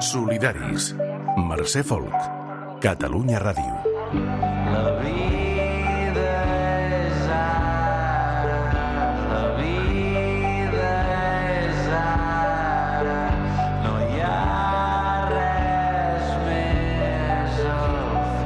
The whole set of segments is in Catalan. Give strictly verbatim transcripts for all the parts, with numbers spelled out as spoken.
Solidaris. Mercè Folk. Catalunya Ràdio. La vida és ara, la vida és ara, no hi ha res més al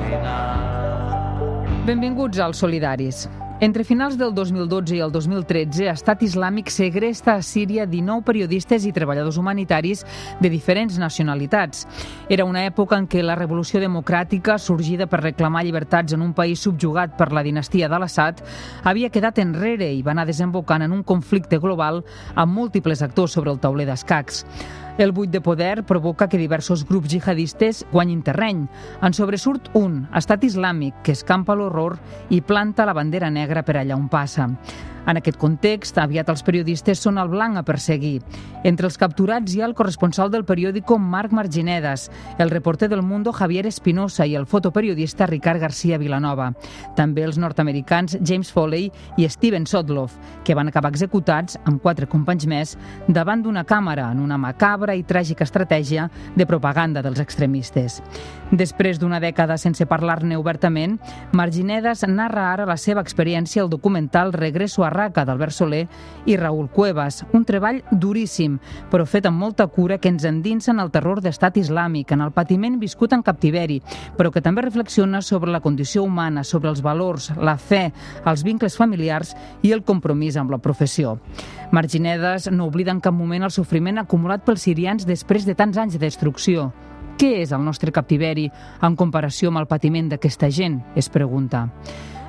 final. Benvinguts als Solidaris. Entre finals del dos mil dotze i el dos mil tretze, Estat Islàmic segresta a Síria dinou periodistes i treballadors humanitaris de diferents nacionalitats. Era una època en què la revolució democràtica, sorgida per reclamar llibertats en un país subjugat per la dinastia d'Al-Assad, havia quedat enrere i va anar desembocant en un conflicte global amb múltiples actors sobre el tauler d'escacs. El buit de poder provoca que diversos grups jihadistes guanyin terreny. En sobresurt un, Estat Islàmic, que escampa l'horror i planta la bandera negra per allà on passa. En aquest context, aviat els periodistes són el blanc a perseguir. Entre els capturats hi ha el corresponsal del periòdico Marc Marginedas, el reporter del Mundo Javier Espinosa i el fotoperiodista Ricard García Vilanova. També els nord-americans James Foley i Steven Sotloff, que van acabar executats amb quatre companys més davant d'una càmera en una macabra i tràgica estratègia de propaganda dels extremistes. Després d'una dècada sense parlar-ne obertament, Marginedas narra ara la seva experiència al documental Regreso a Raqqa d'Albert Soler i Raúl Cuevas, un treball duríssim, però fet amb molta cura que ens endinsa en el terror d'Estat Islàmic, en el patiment viscut en captiveri, però que també reflexiona sobre la condició humana, sobre els valors, la fe, els vincles familiars i el compromís amb la professió. Marginedas no oblida en cap moment el sofriment acumulat pels sirians després de tants anys de destrucció. Què és el nostre captiveri en comparació amb el patiment d'aquesta gent? Es pregunta.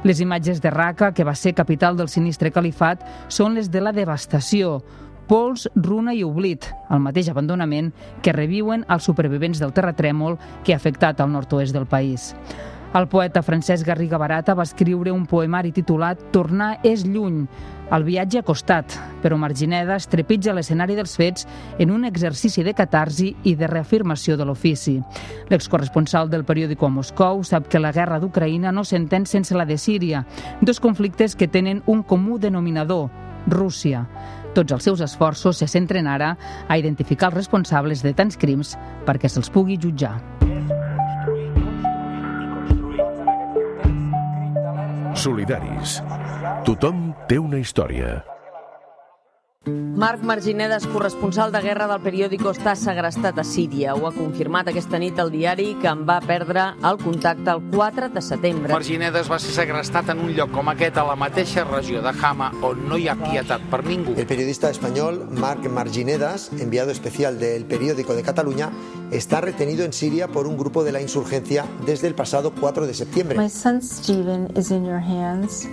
Les imatges de Raqqa, que va ser capital del sinistre califat, són les de la devastació, pols, runa i oblit, el mateix abandonament que reviuen els supervivents del terratrèmol que ha afectat el nord-oest del país. El poeta Francesc Garriga Barata va escriure un poemari titulat Tornar és lluny. El viatge ha costat, però Marginedas trepitja l'escenari dels fets en un exercici de catarsi i de reafirmació de l'ofici. L'excorresponsal del periòdico a Moscou sap que la guerra d'Ucraïna no s'entén sense la de Síria, dos conflictes que tenen un comú denominador, Rússia. Tots els seus esforços se centren ara a identificar els responsables de tants crims perquè se'ls pugui jutjar. Solidaris. Tothom té una història. Marc Marginedas, corresponsal de guerra del periòdico, està segrestat a Síria. Ho ha confirmat aquesta nit el diari, que en va perdre el contacte el quatre de setembre. Marginedas va ser segrestat en un lloc com aquest, a la mateixa regió de Hama, on no hi ha pietat per ningú. El periodista espanyol Marc Marginedas, enviado especial del periódico de Cataluña, está retenido en Siria por un grupo de la insurgencia desde el pasado cuatro de septiembre. My son Steven is in your hands.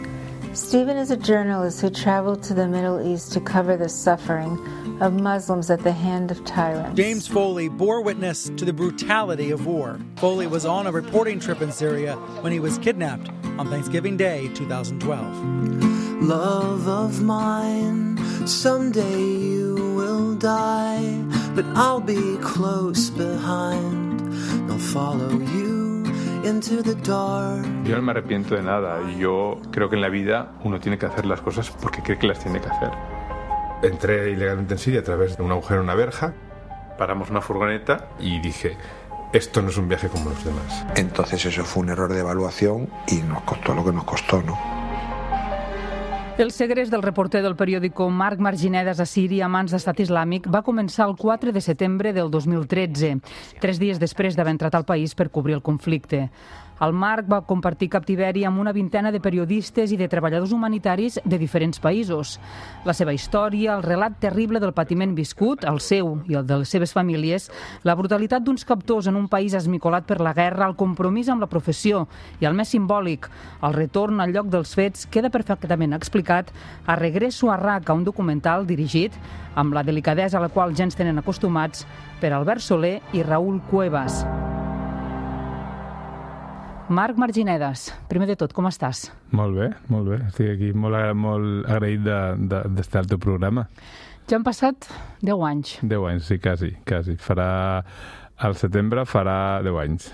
Steven is a journalist who traveled to the Middle East to cover the suffering of Muslims at the hand of tyrants. James Foley bore witness to the brutality of war. Foley was on a reporting trip in Syria when he was kidnapped on Thanksgiving Day two thousand twelve. Love of mine, someday you will die, but I'll be close behind, I'll follow you. Yo no me arrepiento de nada. Yo creo que en la vida uno tiene que hacer las cosas porque cree que las tiene que hacer. Entré ilegalmente en Siria a través de un agujero en una verja, paramos una furgoneta y dije, esto no es un viaje como los demás. Entonces eso fue un error de evaluación y nos costó lo que nos costó, ¿no? El segrest del reporter del periòdico Marc Marginedas a Síria a mans d'Estat Islàmic va començar el quatre de setembre del dos mil tretze, tres dies després d'haver entrat al país per cobrir el conflicte. El Marc va compartir captiveri amb una vintena de periodistes i de treballadors humanitaris de diferents països. La seva història, el relat terrible del patiment viscut, el seu i el de les seves famílies, la brutalitat d'uns captors en un país esmicolat per la guerra, el compromís amb la professió i el més simbòlic, el retorn al lloc dels fets, queda perfectament explicat a Regreso a Raqqa, un documental dirigit amb la delicadesa a la qual ja ens tenen acostumats per Albert Soler i Raúl Cuevas. Marc Marginedas, primer de tot, com estàs? Molt bé, molt bé. Estic aquí molt, molt agraït d'estar de, de, al teu programa. Ja han passat deu anys. Deu anys, sí, quasi, quasi. Farà, al setembre farà deu anys.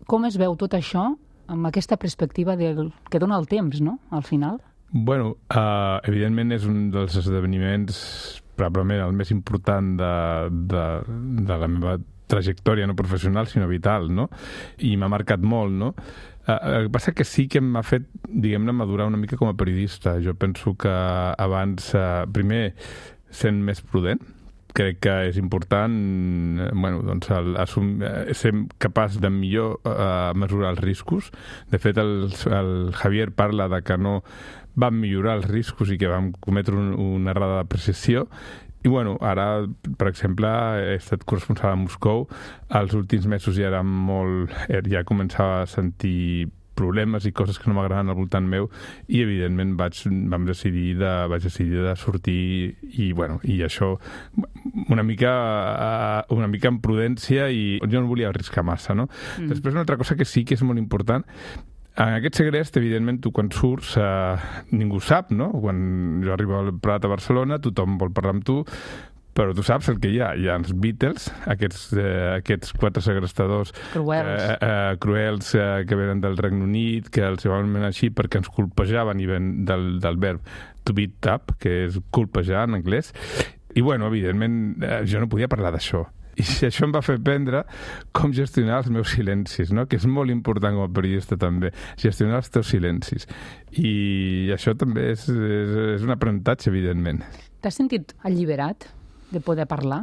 Com es veu tot això amb aquesta perspectiva del, que dona el temps, no?, al final? Bueno, uh, evidentment és un dels esdeveniments probablement el més important de, de, de la meva trajectòria no professional, sinó vital, no? I m'ha marcat molt, no? Uh, el que passa que sí que m'ha fet, diguem-ne, madurar una mica com a periodista. Jo penso que abans, uh, primer, sent més prudent, crec que és important bueno, doncs el, assum, ser capaç de millor uh, mesurar els riscos. De fet, el, el Javier parla de que no vam millorar els riscos i que vam cometre un, una errada de precisió. I bueno, ara, per exemple, he estat corresponsal a Moscou. Els últims mesos ja era molt... ja començava a sentir problemes i coses que no m'agraden al voltant meu i, evidentment, vaig, vam decidir de, vaig decidir de sortir i, bueno, i això una mica, una mica amb prudència i jo no volia arriscar massa, no? Mm. Després, una altra cosa que sí que és molt important, en aquest segrest, evidentment, tu quan surts eh, ningú sap, no? Quan jo arribo al Prat a Barcelona, tothom vol parlar amb tu, però tu saps el que hi ha. Hi ha els Beatles, aquests, eh, aquests quatre segrestadors cruels, eh, eh, cruels eh, que venen del Regne Unit, que els van anomenar així perquè ens colpejaven i ven del, del verb to beat up, que és colpejar en anglès. I, bueno, evidentment, eh, jo no podia parlar d'això. I això em va fer aprendre com gestionar els meus silencis, no? Que és molt important com a periodista també, gestionar els teus silencis. I això també és, és, és un aprenentatge, evidentment. T'has sentit alliberat de poder parlar?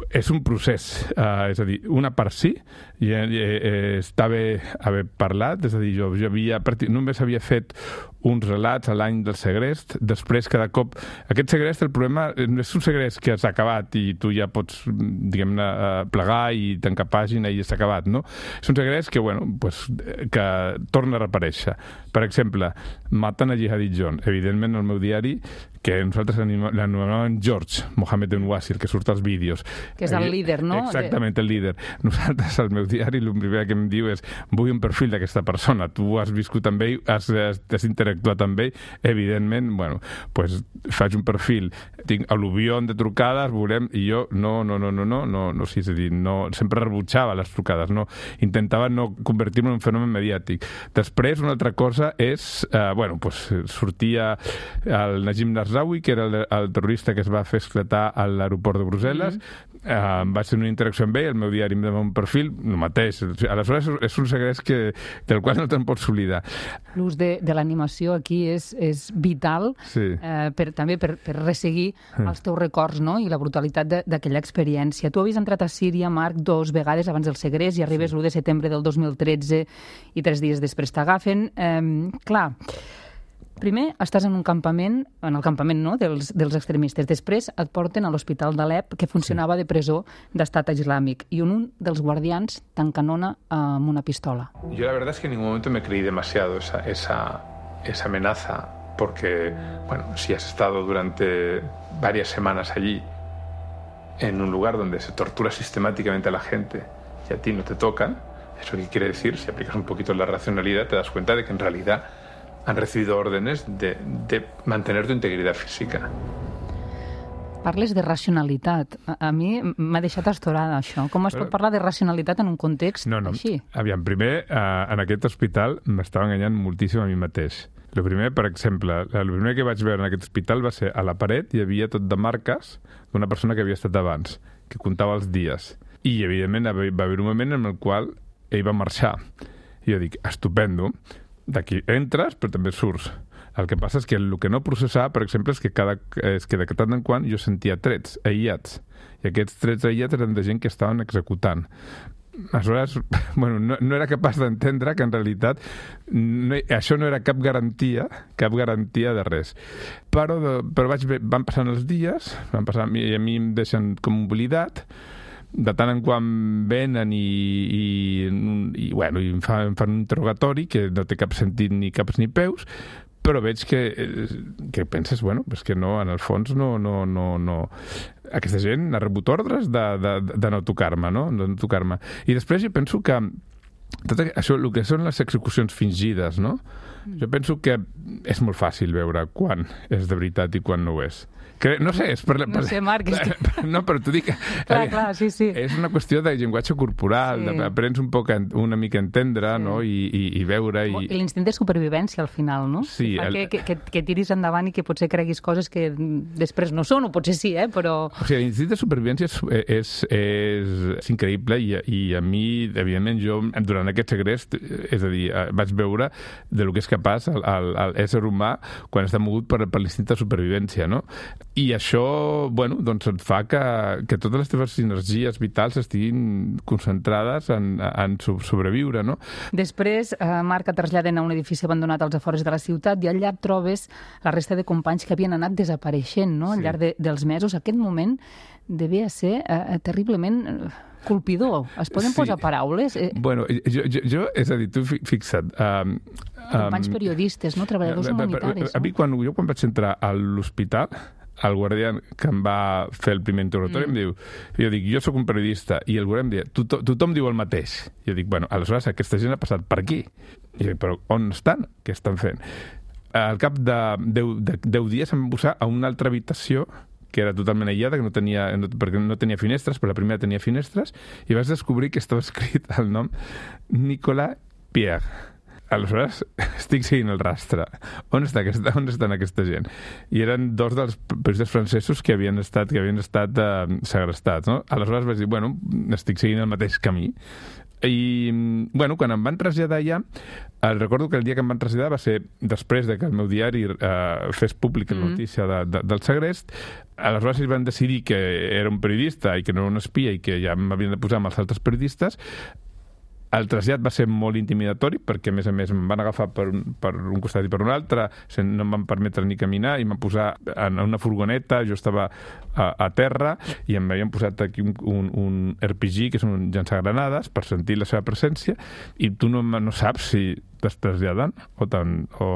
És un procés, uh, és a dir, una part sí, i, i, i està bé haver parlat, és a dir, jo, jo havia, només havia fet uns relats a l'any del segrest, després cada cop... Aquest segrest, el problema, no és un segrest que s'ha acabat i tu ja pots, diguem-ne, plegar i tancar pàgina i s'ha acabat, no? És un segrest que, bueno, pues, que torna a reaparèixer. Per exemple, maten a Jihadi John. Evidentment, el meu diari, que nosaltres l'anomenàvem George Mohamed Enwasir, que surt als vídeos. Que és el líder, no? Exactament, el líder. Nosaltres, al meu diari, el primer que em diu és vull un perfil d'aquesta persona. Tu has viscut amb ell, has, has, has interactuat amb ell, evidentment, bueno, pues faig un perfil, tinc al·luvió de trucades, volem, i jo no, no, no, no, no, no, no, sí, és a dir, no, sempre rebutjava les trucades, no, intentava no convertir-me en un fenomen mediàtic. Després, una altra cosa és, eh, bueno, pues sortia el Najim Narzawi, que era el, el terrorista que es va fer esclatar a l'aeroport de Brussel·les, mm-hmm. Uh, vaig tenir una interacció amb ell, el meu diari em dona un perfil, el mateix. Aleshores, és un segrest que, del qual no te'n pots oblidar. L'ús de, de l'animació aquí és, és vital, sí. eh, per, també per, per resseguir mm. els teus records, no? I la brutalitat d'aquella experiència. Tu havies entrat a Síria, Marc, dos vegades abans del segrest i arribes sí. l'u de setembre del dos mil tretze i tres dies després t'agafen. Eh, clar, primer estàs en un campament, en el campament no, dels, dels extremistes. Després et porten a l'hospital d'Alep, que funcionava de presó d'estat islàmic, y un dels guardians t'encanona amb una pistola. Yo la verdad es que en ningún momento me creí demasiado esa, esa, esa amenaza, porque, bueno, si has estado durante varias semanas allí, en un lugar donde se tortura sistemáticamente a la gente y a ti no te tocan, ¿eso qué quiere decir? Si aplicas un poquito la racionalidad, te das cuenta de que en realidad han recibido órdenes de, de mantener tu integridad física. Parles de racionalitat. A, a mi m'ha deixat astorada, això. Com es pot parlar de racionalitat en un context no, no. així? Aviam, primer, eh, en aquest hospital m'estava enganyant moltíssim a mi mateix. El primer, per exemple, el primer que vaig veure en aquest hospital va ser a la paret hi havia tot de marques d'una persona que havia estat abans, que comptava els dies. I, evidentment, va haver un moment en el qual ell va marxar. I jo dic, estupendo, d'aquí entres, però també surts. El que passa és que el que no processava, per exemple, és que, cada, és que de tant en quant jo sentia trets aïllats. I aquests trets aïllats eren de gent que estaven executant. Aleshores, bueno, no, no era capaç d'entendre que en realitat no, això no era cap garantia, cap garantia de res. Però, però vaig, van passant els dies, van passant, i a mi em deixen com oblidat, de tant en quant venen i, i, i, bueno, i em, fan, em fan un interrogatori que no té cap sentit ni caps ni peus, però veig que, que penses, bueno, és que no, en el fons no, no, no, no. Aquesta gent ha rebut ordres de, de, de no tocar-me, no? De no tocar-me. I després jo penso que tot això, el que són les execucions fingides, no? Jo penso que és molt fàcil veure quan és de veritat i quan no ho és. Que, no sé, és per... per no sé, Marc, és que... No, però t'ho dic... Clar, clar, sí, sí. És una qüestió de llenguatge corporal, sí. Aprens un poc, una mica a entendre, sí. No? I, i, i veure... I... I l'instint de supervivència, al final, no? Sí. Que, El... que, que, que tiris endavant i que potser creguis coses que després no són, o potser sí, eh? Però... O sigui, l'instint de supervivència és, és, és, és increïble i, i a mi, evidentment, jo, durant aquest segrest, és a dir, vaig veure de lo que és capaç l'ésser humà quan està mogut per, per l'instint de supervivència, no? I això, bueno, doncs et fa que, que totes les teves energies vitals estiguin concentrades en, en sobreviure, no? Després, eh, Marc, et traslladen a un edifici abandonat als afores de la ciutat i allà trobes la resta de companys que havien anat desapareixent, no?, al llarg de, dels mesos. Aquest moment devia ser eh, terriblement colpidor. Es poden sí. posar paraules? Eh... Bueno, jo, jo, jo, és a dir, tu fixa't... Um, companys um, periodistes, no? Treballadors uh, humanitaris. A, a, a mi, quan, jo quan vaig entrar a l'hospital, el guàrdia que em va fer el primer interrogatori mm. em diu, jo dic, jo sóc un periodista, i el guàrdia em diu, tothom, tothom diu el mateix. Jo dic, bueno, aleshores aquesta gent ha passat per aquí. I dic, però on estan? Què estan fent? Al cap de deu dies em van posar a una altra habitació que era totalment aïllada, que no tenia, no, perquè no tenia finestres, però la primera tenia finestres, i vaig descobrir que estava escrit el nom Nicolas Pierre. Aleshores, estic seguint el rastre. On, està aquesta, on estan aquesta gent? I eren dos dels periodistes francesos que havien estat, que havien estat eh, segrestats, no? Aleshores vaig dir, bueno, estic seguint el mateix camí. I, bueno, quan em van traslladar allà, eh, recordo que el dia que em van traslladar va ser després de que el meu diari eh, fes pública la notícia de, de, del segrest. Aleshores ells van decidir que era un periodista i que no era un espia i que ja m'havien de posar amb els altres periodistes. El trasllat va ser molt intimidatori perquè, a més a més, em van agafar per, per un costat i per un altre, no em van permetre ni caminar i em van posar en una furgoneta, jo estava a, a terra i em havien posat aquí un, un, un R P G, que és un llançagranades, per sentir la seva presència, i tu no, no saps si t'es traslladen o, o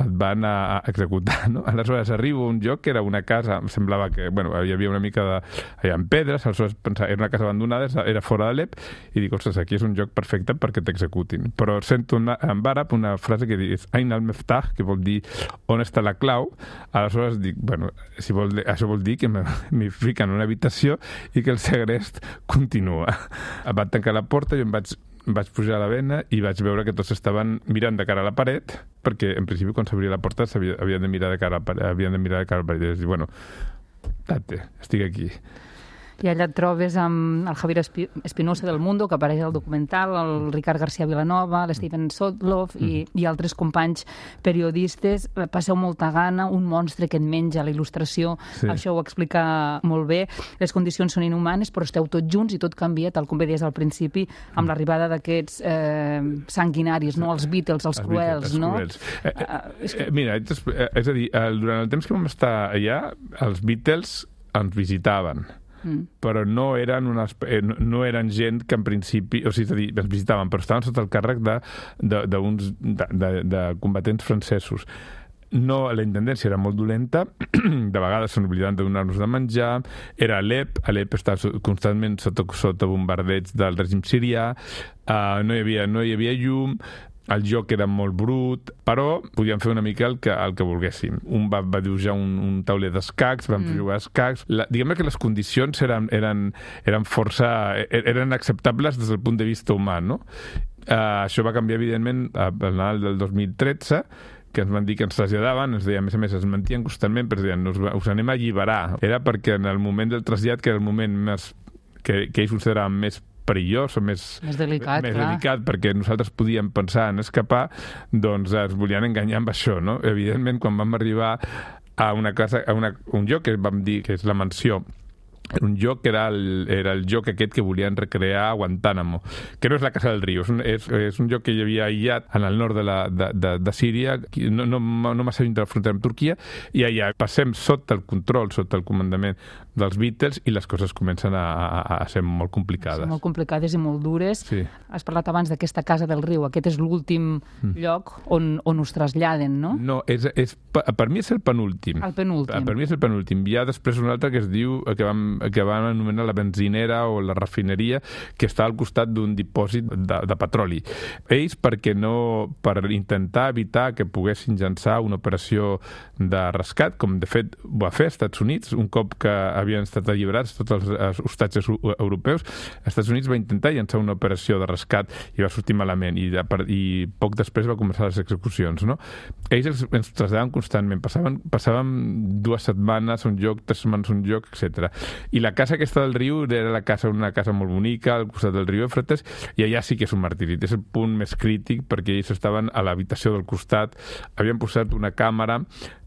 et van a, a executar, no? Aleshores arribo a un lloc que era una casa, em semblava que, bueno, hi havia una mica de... allà en pedres, aleshores pensava, era una casa abandonada, era fora d'Alep, i dic, ostres, aquí és un lloc perfecte perquè t'executin. Però sento una, en àrab una frase que diu Ain al-Meftah, que vol dir on està la clau. Aleshores dic, bueno, si vol, això vol dir que m'hi fiquen en una habitació i que el segrest continua. Em van tancar la porta i em vaig vaig pujar a la vena i vaig veure que tots estaven mirant de cara a la paret, perquè en principi quan s'obria la porta havien de mirar de cara a la paret, havien de mirar de cara a la paret i dir, bueno, tate, estic aquí. I allà et trobes amb el Javier Espinosa del Mundo, que apareix al documental, el Ricard García Vilanova, l'Steven Sotloff mm. i, i altres companys periodistes. Passeu molta gana, un monstre que et menja la il·lustració, sí. Això ho explica molt bé. Les condicions són inhumanes, però esteu tots junts i tot canvia, tal com veies al principi, amb mm. l'arribada d'aquests eh, sanguinaris, no? Els Beatles, els, els cruels, Beatles, no? Cruels. Eh, eh, uh, eh, mira, és, és a dir, durant el temps que vam estar allà, els Beatles ens visitaven. Mm. Però no eren, una, no eren gent que en principi, o sigui, és a dir, ens visitaven, però estaven sota el càrrec de, de, de, uns, de, de, de combatents francesos. No, la intendència era molt dolenta, de vegades s'han oblidat de donar-nos de menjar, era Alep, Alep estava constantment sota, sota bombardeig del règim sirià, uh, no, hi havia, no hi havia llum, el joc era molt brut, però podíem fer una mica el que, el que volguéssim. Un va, va dibuixar un, un tauler d'escacs, vam mm. jugar a escacs. La, diguem que les condicions eren, eren, eren força... eren acceptables des del punt de vista humà, no? Uh, això va canviar, evidentment, al Nadal del dos mil tretze, que ens van dir que ens traslladaven, ens deien, a més a més, es mentien constantment, però deien, us, us anem a alliberar. Era perquè en el moment del trasllat, que era el moment més, que, que ells consideraven més perillós o més, més, delicat, més delicat, perquè nosaltres podíem pensar en escapar, doncs es volien enganyar amb això, no? Evidentment, quan vam arribar a una casa, a una, un lloc que vam dir que és la mansió, un lloc que era el, era el lloc aquest que volien recrear a Guantánamo, que no és la Casa del Rio, és un, és, és un lloc que hi havia aïllat en el nord de, la, de, de, de Síria, no, no, no massa lluny de la frontera amb Turquia, i allà passem sota el control, sota el comandament dels Beatles, i les coses comencen a, a, a ser molt complicades. Són molt complicades i molt dures. Sí. Has parlat abans d'aquesta Casa del Riu, aquest és l'últim mm. lloc on, on us traslladen, no? No, és, és, per mi és el penúltim. El penúltim. Per mi és el penúltim. Hi ha després un altre que es diu, que vam que van anomenar la benzinera o la refineria, que està al costat d'un dipòsit de, de petroli. Ells, perquè no, per intentar evitar que poguessin llançar una operació de rescat, com de fet va fer als Estats Units, un cop que havien estat alliberats tots els hostatges europeus, als Estats Units va intentar llançar una operació de rescat i va sortir malament, i, de, i poc després va començar les execucions, no? Ells ens traslladaven constantment, passaven, passaven dues setmanes a un lloc, tres setmanes a un lloc, etcètera. I la casa aquesta del riu era la casa, una casa molt bonica, al costat del riu Éufrates, i allà sí que és un martiri. És el punt més crític, perquè ells estaven a l'habitació del costat, havien posat una càmera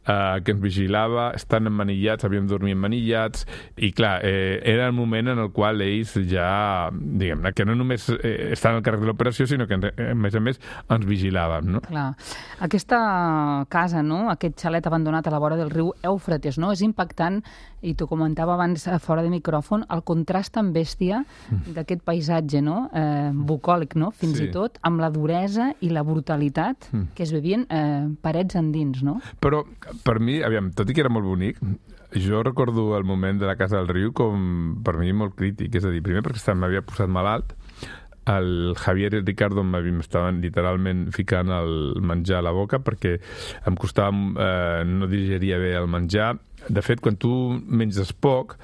eh, que ens vigilava, estan emmanillats, havíem dormit emmanillats, i clar, eh, era el moment en el qual ells ja, diguem-ne, que no només eh, estaven al càrrec de l'operació, sinó que, a més a més, ens vigilaven, no? Clar. Aquesta casa, no?, aquest xalet abandonat a la vora del riu Éufrates, no?, és impactant, i t'ho comentava abans fora de micròfon, el contrast tan bèstia d'aquest paisatge, no?, eh, bucòlic, no?, fins sí. i tot, amb la duresa i la brutalitat mm. que es vivien eh, parets endins, no? Però, per mi, aviam, tot i que era molt bonic, jo recordo el moment de la Casa del Riu com, per mi, molt crític. És a dir, primer perquè m'havia posat malalt, el Javier i el Ricardo m'estaven literalment ficant el menjar a la boca perquè em costava, eh, no digeria bé el menjar. De fet, quan tu menges poc,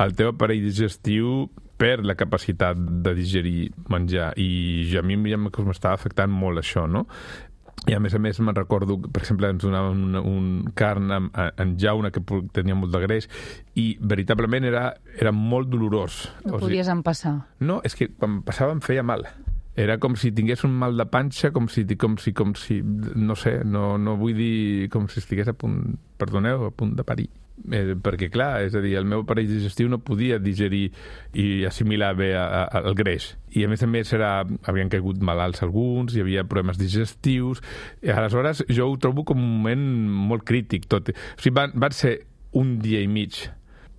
el teu aparell digestiu perd la capacitat de digerir menjar, i a mi ja m'estava afectant molt això, no? I a més a més me'n recordo, per exemple, ens donaven un, un carn en, en jauna que tenia molt de greix, i veritablement era, era molt dolorós. No podies empassar. No, és que quan passava em feia mal. Era com si tingués un mal de panxa, com si, com si, com si no sé, no, no vull dir com si estigués a punt, perdoneu, a punt de parir. Eh, perquè, clar, és a dir, el meu aparell digestiu no podia digerir i assimilar bé a, a, el greix. I, a més a més, era, havien caigut malalts alguns, hi havia problemes digestius. I, aleshores, jo ho trobo com un moment molt crític, tot. O sigui, van, van ser un dia i mig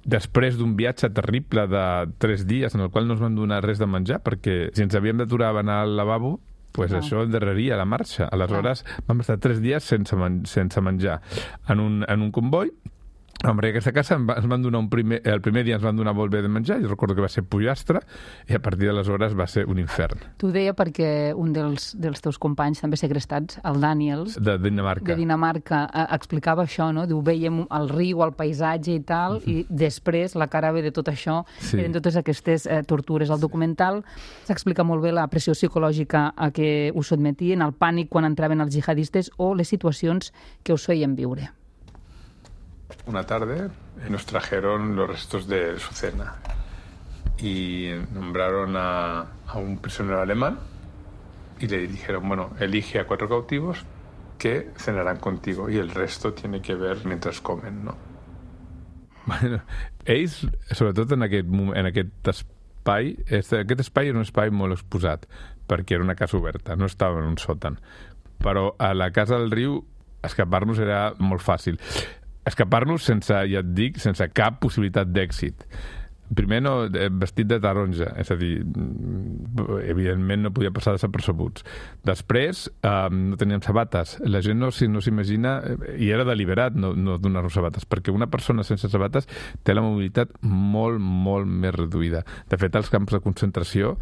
després d'un viatge terrible de tres dies en el qual no ens van donar res de menjar, perquè si ens havíem d'aturar a anar al lavabo, pues no. Això endarreria la marxa. Aleshores, no. Vam estar tres dies sense, men sense menjar en un, en un comboi. Hombre, aquesta casa ens van donar un primer, el primer dia ens van donar molt bé de menjar, jo recordo que va ser pollastre, i a partir d'aleshores va ser un infern. T'ho deia perquè un dels, dels teus companys també segrestats, el Daniels, de Dinamarca, de Dinamarca eh, explicava això, no? Diu, veiem el riu, el paisatge i tal, uh-huh. i després la cara B de tot això sí. eren totes aquestes eh, tortures. El documental s'explica molt bé la pressió psicològica a què us sotmetien, el pànic quan entraven els jihadistes o les situacions que us feien viure. Una tarde nos trajeron los restos de su cena y nombraron a, a un prisionero alemán y le dijeron, bueno, elige a cuatro cautivos que cenarán contigo y el resto tiene que ver mientras comen, ¿no? Bueno, ells, sobretot en aquest, en aquest espai, aquest espai era un espai molt exposat, perquè era una casa oberta, no estava en un sòtan. Però a la Casa del Riu escapar-nos era molt fàcil. Escapar-nos sense, ja et dic, sense cap possibilitat d'èxit. Primer, no, vestit de taronja, és a dir, evidentment no podia passar desapercebuts. Després, eh, no teníem sabates. La gent no, no s'imagina, i era deliberat no, no donar-nos sabates, perquè una persona sense sabates té la mobilitat molt, molt més reduïda. De fet, als camps de concentració,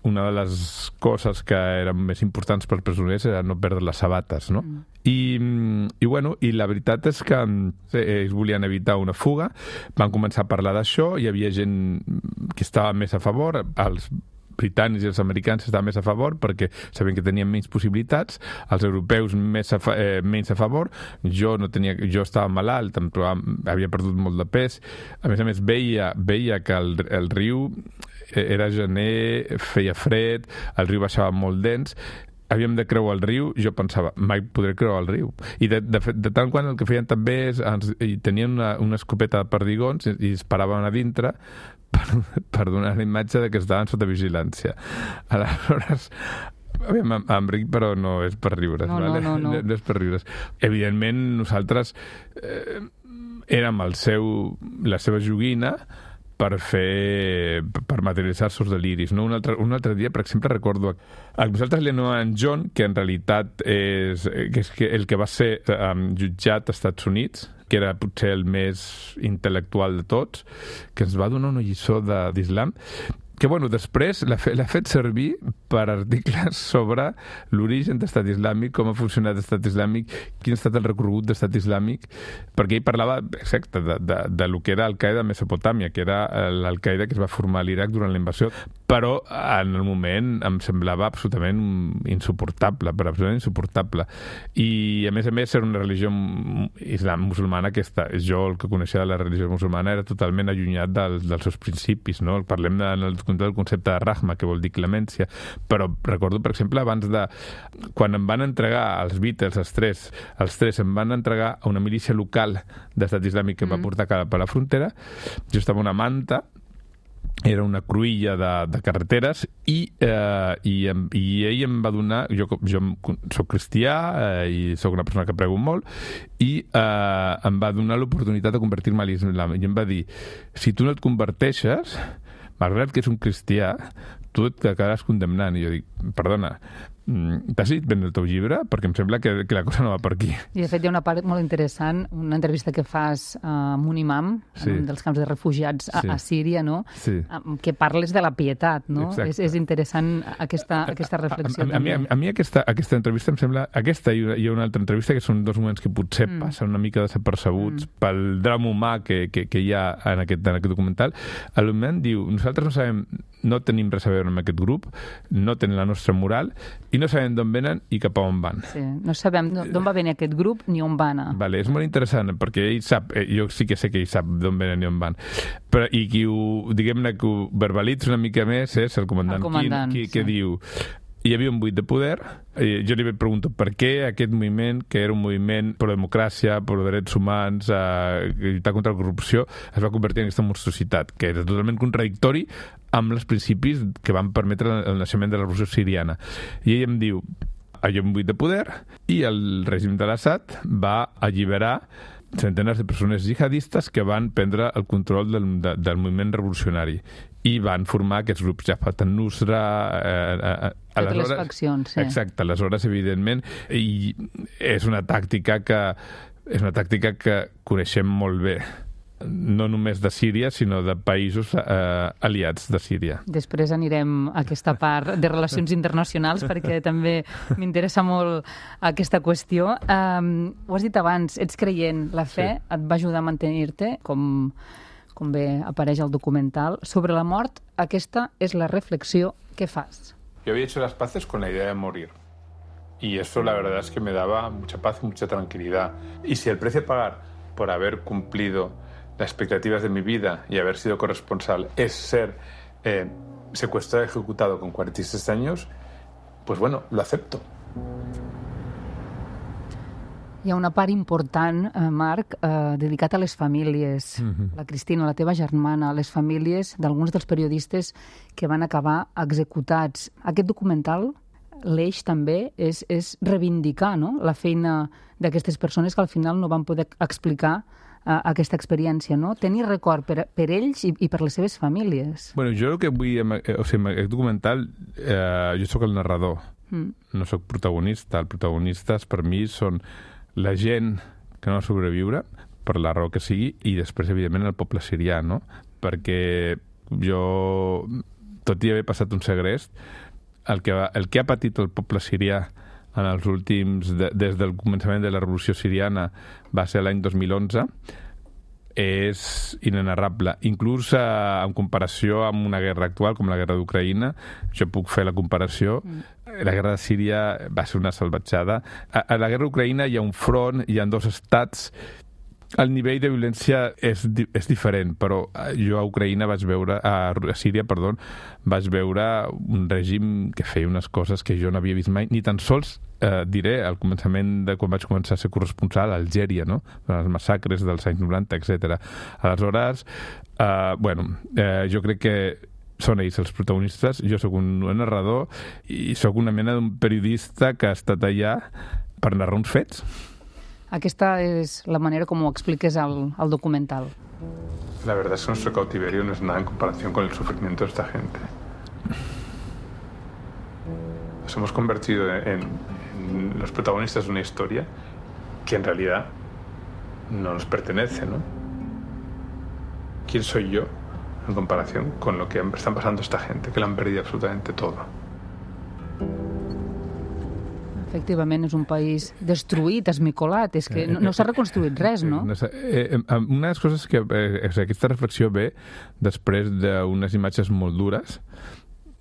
una de les coses que eren més importants per presoners era no perdre les sabates, no? Mm. I, i, bueno, i la veritat és que ells volien evitar una fuga, van començar a parlar d'això, hi havia gent que estava més a favor, els britànics i els americans estaven més a favor perquè sabien que tenien menys possibilitats, els europeus més a fa, eh, menys a favor. Jo no tenia, jo estava malalt, però havia perdut molt de pes. A més a més, veia, veia que el, el riu era gener, feia fred, el riu baixava molt dens, havíem de creuar el riu, jo pensava, mai podré creuar el riu. I de, de, de tant quan el que feien també és, ens, i tenien una, una escopeta de perdigons i, i es paraven a dintre per, per donar la imatge de que estaven sota vigilància. Aleshores, aviam, Enric, però no és per riure's, no, vale? no, no, no. no és per riure's. Evidentment, nosaltres eh, érem el seu, la seva joguina, per fer, per materialitzar els seus deliris. No? Un, altre, un altre dia, per exemple, recordo a nosaltres li anomenem John, que en realitat és, que és el que va ser um, jutjat als Estats Units, que era potser el més intel·lectual de tots, que ens va donar una lliçó d'islam, que bueno, després l'ha fet, fet servir per articles sobre l'origen d'estat islàmic, com ha funcionat l'estat islàmic, quin ha estat el recorregut d'estat islàmic, perquè ell parlava, exacte, de, de, de lo que era Al-Qaeda a Mesopotàmia, que era l'Al-Qaeda que es va formar a l'Iraq durant la invasió, però en el moment em semblava absolutament insuportable, però absolutament insuportable. I a més a més era una religió islam musulmana que està, jo el que coneixia de la religió musulmana era totalment allunyat dels, dels seus principis, no? Parlem de, del concepte de rahma, que vol dir clemència, però recordo, per exemple, abans de... Quan em van entregar els Beatles, els tres, els tres em van entregar a una milícia local d'estat islàmic que em va portar cap a la frontera, jo estava una manta, era una cruïlla de, de carreteres i, eh, i, i ell em va donar, jo, jo soc cristià eh, i soc una persona que prego molt, i eh, em va donar l'oportunitat de convertir-me a l'islam, i em va dir, si tu no et converteixes, malgrat que és un cristià, tu et quedaràs condemnant. I jo dic, perdona, t'has dit ben el teu llibre? Perquè em sembla que, que la cosa no va per aquí. I de fet hi ha una part molt interessant, una entrevista que fas amb un imam, sí. un dels camps de refugiats a, sí. a Síria, no? Sí. Que parles de la pietat, no? És, és interessant aquesta, aquesta reflexió. A, a, a, mi, a mi aquesta, aquesta entrevista em sembla... Aquesta i una, hi ha una altra entrevista que són dos moments que potser mm. passen una mica desapercebuts mm. pel drama humà que, que, que hi ha en aquest, en aquest documental. El moment diu, nosaltres no sabem, no tenim res a veure amb aquest grup, no tenen la nostra moral i no sabem d'on venen i cap a on van. Sí, no sabem d'on va venir aquest grup ni on va anar. Vale, és molt interessant, perquè ell sap, jo sí que sé que ell sap d'on venen i on van, però, i qui ho, diguem-ne, que ho verbalitza una mica més és el comandant, el comandant Quinn, qui, sí. que diu hi havia un buit de poder, i jo li pregunto per què aquest moviment, que era un moviment pro democràcia, pro drets humans, eh, lluitar contra la corrupció, es va convertir en aquesta monstruositat, que era totalment contradictori amb els principis que van permetre el naixement de la revolució siriana. I ell em diu, hi ha un buit de poder i el règim de l'Assad va alliberar centenars de persones jihadistes que van prendre el control del, de, del moviment revolucionari i van formar aquests grups Jabhat al-Nusra, eh, eh, totes les faccions, sí. Exacte, aleshores, evidentment, i és una tàctica que és una tàctica que coneixem molt bé, no només de Síria, sinó de països eh, aliats de Síria. Després anirem a aquesta part de relacions internacionals, perquè també m'interessa molt aquesta qüestió. Um, ho has dit abans, ets creient, la fe sí. et va ajudar a mantenir-te, com, com bé apareix al documental. Sobre la mort, aquesta és la reflexió que fas. Yo había hecho las paces con la idea de morir. Y eso la verdad es que me daba mucha paz y mucha tranquilidad. Y si el precio a pagar por haber cumplido las expectativas de mi vida y haber sido corresponsal es ser eh, secuestrado y ejecutado con cuarenta y seis años, pues bueno, lo acepto. Hi ha una part important, eh, Marc, eh, dedicat a les famílies. Mm-hmm. La Cristina, la teva germana, les famílies d'alguns dels periodistes que van acabar executats. Aquest documental, l'eix també és, és reivindicar, no?, la feina d'aquestes persones que al final no van poder explicar uh, aquesta experiència, no? Tenir record per, per ells i, i per les seves famílies. Bueno, jo el que vull... O sigui, en aquest documental eh, jo sóc el narrador, mm. no sóc protagonista. Els protagonistes per mi són la gent que no va sobreviure, per la raó que sigui, i després, evidentment, el poble sirià, no? Perquè jo, tot i haver passat un segrest, el que, va, el que ha patit el poble sirià en els últims, de, des del començament de la revolució siriana, va ser l'any dos mil onze, és inenarrable. Inclús eh, en comparació amb una guerra actual, com la guerra d'Ucraïna, jo puc fer la comparació, mm. la guerra de Síria va ser una salvatjada. A, a la guerra d'Ucraïna hi ha un front, hi ha dos estats, el nivell de violència és, és diferent, però jo a Ucraïna vaig veure, a Síria, perdó, vaig veure un règim que feia unes coses que jo no havia vist mai, ni tan sols, eh, diré, al començament de quan vaig començar a ser corresponsal a Algèria, no?, els massacres dels anys noranta, etcètera. Aleshores, eh, bueno, eh, jo crec que són ells els protagonistes, jo sóc un narrador i sóc una mena d'un periodista que ha estat allà per narrar uns fets. Aquesta es la manera como expliques al, al documental. La verdad es que nuestro cautiverio no es nada en comparación con el sufrimiento de esta gente. Nos hemos convertido en, en los protagonistas de una historia que en realidad no nos pertenece, ¿no? ¿Quién soy yo en comparación con lo que están pasando esta gente, que lo han perdido absolutamente todo? Efectivament, és un país destruït, esmicolat, és que no, no s'ha reconstruït res, no? no eh, una de les coses que... Eh, aquesta reflexió ve després d'unes imatges molt dures,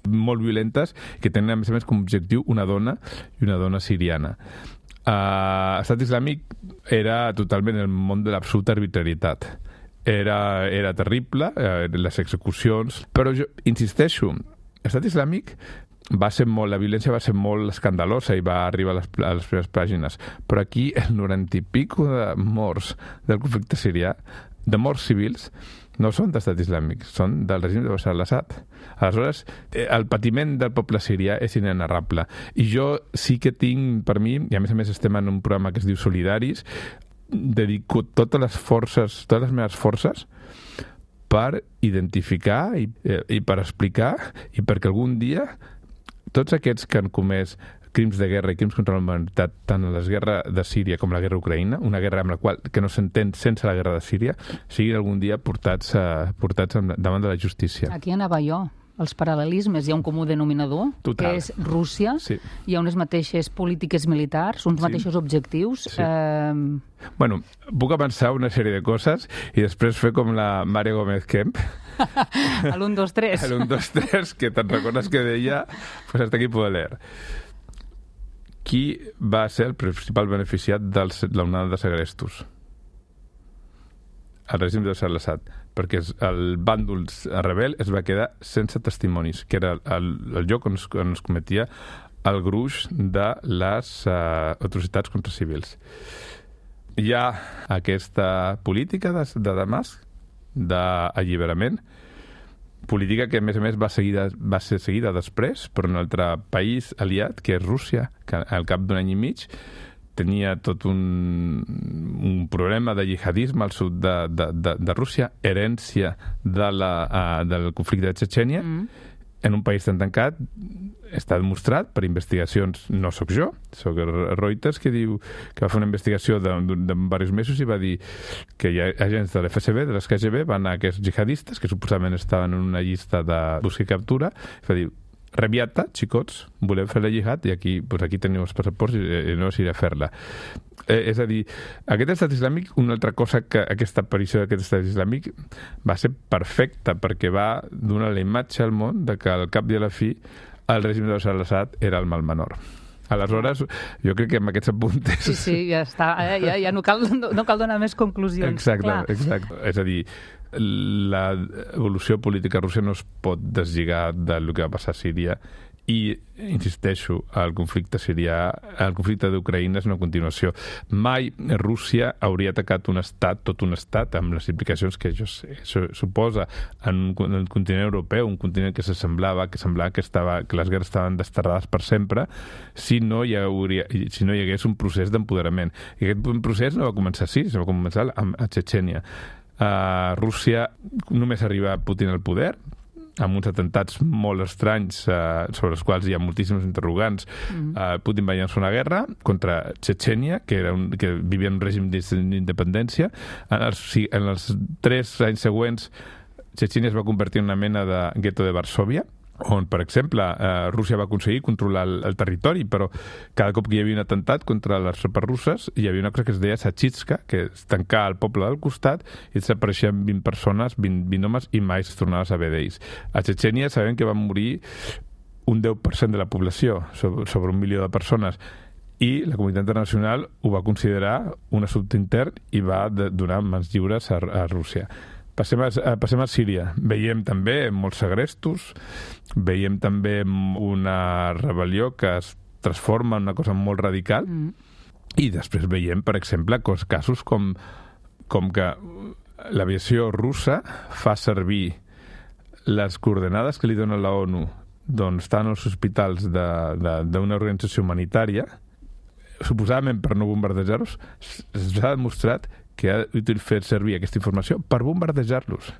molt violentes, que tenen, a més a més, com a objectiu una dona i una dona siriana. Uh, Estat Islàmic era totalment el món de l'absoluta arbitrarietat. Era, era terrible, eh, les execucions, però jo insisteixo, Estat Islàmic va ser molt, la violència va ser molt escandalosa i va arribar a les, a les primeres pàgines, però aquí el noranta i pico de morts del conflicte sirià, de morts civils, no són d'Estat Islàmic, són del règim de Bashar al-Assad. Aleshores, el patiment del poble sirià és inenarrable. I jo sí que tinc, per mi, i a més a més estem en un programa que es diu Solidaris, dedico totes les forces, totes les meves forces per identificar i, i per explicar i perquè algun dia tots aquests que han comès crims de guerra i crims contra la humanitat, tant en la guerra de Síria com la guerra d'Ucraïna, una guerra amb la qual que no s'entén sense la guerra de Síria, siguin algun dia portats, uh, portats davant de la justícia. Aquí anava jo. Els paral·lelismes, hi ha un comú denominador, Total. que és Rússia, sí. Hi ha unes mateixes polítiques militars, uns sí. mateixos objectius. Sí. Eh... Bueno, puc avançar una sèrie de coses i després fer com la Maria Gómez Kemp. A l'un, dos, tres. A l'un, dos, tres, que te'n recordes que deia, pues hasta aquí puedo leer. Qui va ser el principal beneficiat de l'onada de segrestos? El règim de Bashar al-Assad, perquè el bàndol rebel es va quedar sense testimonis, que era el, el lloc on es, on es cometia el gruix de les uh, atrocitats contra civils. Hi ha aquesta política de, de Damasc, d'alliberament, política que, a més a més, va, seguida, va ser seguida després per un altre país aliat, que és Rússia, que al cap d'un any i mig tenia tot un, un problema de jihadisme al sud de, de, de, de Rússia, herència de la, uh, del conflicte de Txetxènia, mm. en un país tan tancat. Està demostrat per investigacions, no sóc jo, sóc Reuters, que diu que va fer una investigació de, de, de diversos mesos i va dir que hi ha agents de l'F S B, de les K G B, van a aquests jihadistes, que suposadament estaven en una llista de busca i captura, i va dir: reviata, xicots, volem fer la jihad i aquí, pues aquí teniu els passaports i, i no us iré a fer-la. Eh, és a dir, aquest estat islàmic, una altra cosa que aquesta aparició d'aquest estat islàmic va ser perfecta perquè va donar la imatge al món de que al cap i a la fi el règim de Bashar al-Assad era el mal menor. Aleshores, jo crec que amb aquests apuntes... Sí, sí, ja està. Ja, ja no, cal, no, no cal donar més conclusions. Exacte, exacte. És a dir, l'evolució política russa no es pot deslligar del que va passar a Síria i, insisteixo, el conflicte sirià, el conflicte d'Ucraïna és una continuació. Mai Rússia hauria atacat un estat, tot un estat, amb les implicacions que això, això suposa en un continent europeu, un continent que s'assemblava, que semblava que, estava, que les guerres estaven desterrades per sempre, si no hi, hauria, si no hi hagués un procés d'empoderament. I aquest procés no va començar a Síria, va començar a, a Txetxènia. Uh, Rússia només arriba a Putin al poder, amb uns atentats molt estranys uh, sobre els quals hi ha moltíssims interrogants. Mm-hmm. uh, Putin va llançar una guerra contra Txetxènia, que, era un, que vivia en un règim d'independència. En els, en els tres anys següents, Txetxènia es va convertir en una mena de gueto de Varsòvia, on, per exemple, eh, Rússia va aconseguir controlar el, el territori, però cada cop que hi havia un atemptat contra les tropes russes hi havia una cosa que es deia Sachitska, que és tancar el poble del costat i desapareixien vint persones, vint, vint homes, i mai es tornava a saber d'ells. A Txetxènia sabem que van morir un deu per cent de la població, sobre, sobre un milió de persones, i la comunitat internacional ho va considerar un assumpte intern i va de, donar mans lliures a, a Rússia. Passem a, passem a Síria. Veiem també molts segrestos, veiem també una rebel·lió que es transforma en una cosa molt radical, mm. i després veiem, per exemple, casos com, com que l'aviació russa fa servir les coordenades que li dona la ONU d'on estan els hospitals d'una organització humanitària, suposadament per no bombardejar-los, s'ha demostrat que ha fet servir aquesta informació per bombardejar-los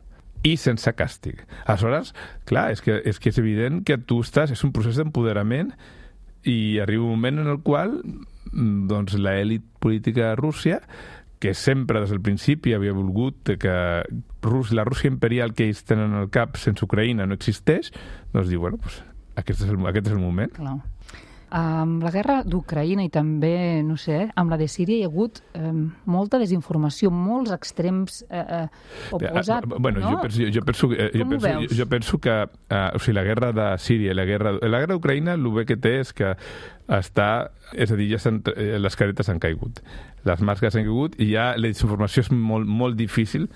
i sense càstig. Aleshores, clar, és que, és que és evident que tu estàs, és un procés d'empoderament i arriba un moment en el qual doncs, l'elit política de Rússia, que sempre des del principi havia volgut que Rus, la Rússia imperial que ells tenen al cap sense Ucraïna no existeix, doncs diu, bueno, pues, aquest, és el, aquest és el moment. Clar. Amb la guerra d'Ucraïna i també, no sé, amb la de Síria hi ha hagut eh, molta desinformació, molts extrems eh, oposats, uh, bueno, no? Jo penso, jo penso, eh, jo penso, jo, jo penso que uh, o sigui, la guerra de Síria i la guerra, la guerra d'Ucraïna el bé que té és que està, és a dir, ja les caretes han caigut, les màscares han caigut i ja la desinformació és molt, molt difícil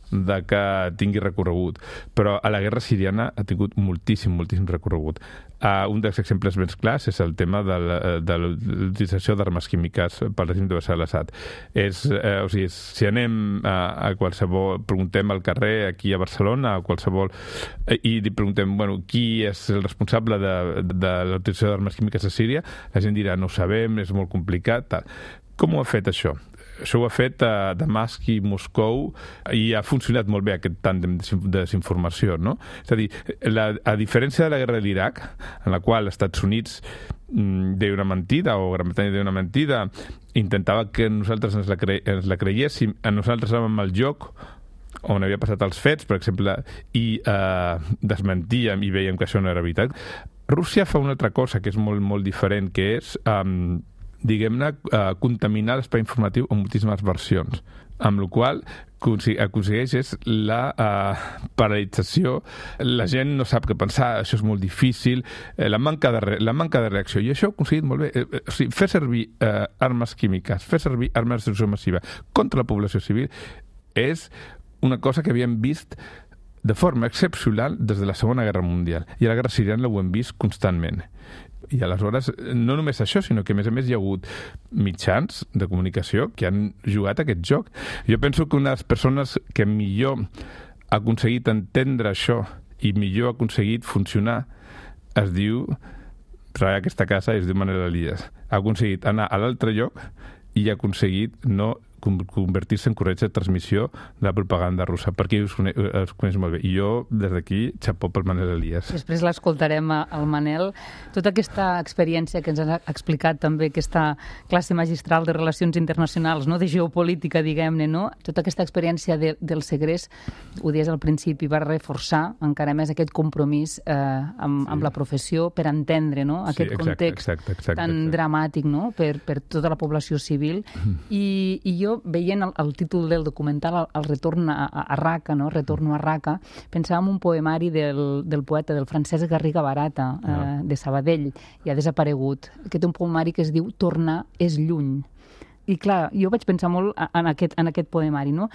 de que tingui recorregut. Però a la guerra siriana ha tingut moltíssim, moltíssim recorregut. Uh, un dels exemples més clars és el tema de, la, de l'utilització d'armes químiques pel règim de Bashar al-Assad. És, uh, o sigui, si anem a, a qualsevol, preguntem al carrer aquí a Barcelona, a qualsevol, uh, i li preguntem, bueno, qui és el responsable de, de l'utilització d'armes químiques a Síria, la gent dirà, no ho sabem, és molt complicat, tal. Com ho ha fet això? Això ho ha fet a Damasc i Moscou i ha funcionat molt bé aquest tàndem de desinformació, no? És a dir, la, a diferència de la guerra de l'Iraq, en la qual els Estats Units mmm, deia una mentida, o Gran Bretanya deia una mentida, intentava que nosaltres ens la, cre ens la creiéssim, a nosaltres érem el joc on havia passat els fets, per exemple, i eh, desmentíem i veiem que això no era veritat. Rússia fa una altra cosa que és molt, molt diferent, que és... Eh, diguem-ne, eh, contaminar l'espai informatiu amb moltíssimes versions, amb la qual aconsegueix és la eh, paralització, la gent no sap què pensar, això és molt difícil, eh, la, manca de re, la manca de reacció, i això ho ha aconseguit molt bé. Eh, eh, o sigui, fer servir eh, armes químiques, fer servir armes de destrucció massiva contra la població civil és una cosa que havíem vist de forma excepcional des de la Segona Guerra Mundial, i a la Guerra Siriana ho hem vist constantment. I aleshores, no només això, sinó que a més a més hi ha hagut mitjans de comunicació que han jugat aquest joc. Jo penso que una de les persones que millor ha aconseguit entendre això i millor ha aconseguit funcionar es diu, treballa a aquesta casa i es diu Manel Elias. Ha aconseguit anar a l'altre lloc i ha aconseguit no convertir-se en corretge de transmissió de la propaganda russa, perquè els coneix, els coneix molt bé. I jo, des d'aquí, xapó pel Manel Elias. Després l'escoltarem al Manel. Tota aquesta experiència que ens ha explicat també, aquesta classe magistral de relacions internacionals, no? De geopolítica, diguem-ne, no? Tota aquesta experiència de, del segrest, ho dies al principi, va reforçar encara més aquest compromís eh, amb, sí. amb la professió per entendre, no? Aquest sí, exacte, context exacte, exacte, tan exacte. dramàtic, no? Per, per tota la població civil. Mm. I, i jo veient el, el títol del documental, el, el retorn a, a Raqqa, no? Retorno a Raqqa, pensava en un poemari del, del poeta, del Francesc Garriga Barata, ah. eh, de Sabadell, i ha desaparegut, que té un poemari que es diu Tornar és lluny. I clar, jo vaig pensar molt en aquest, en aquest poemari, no?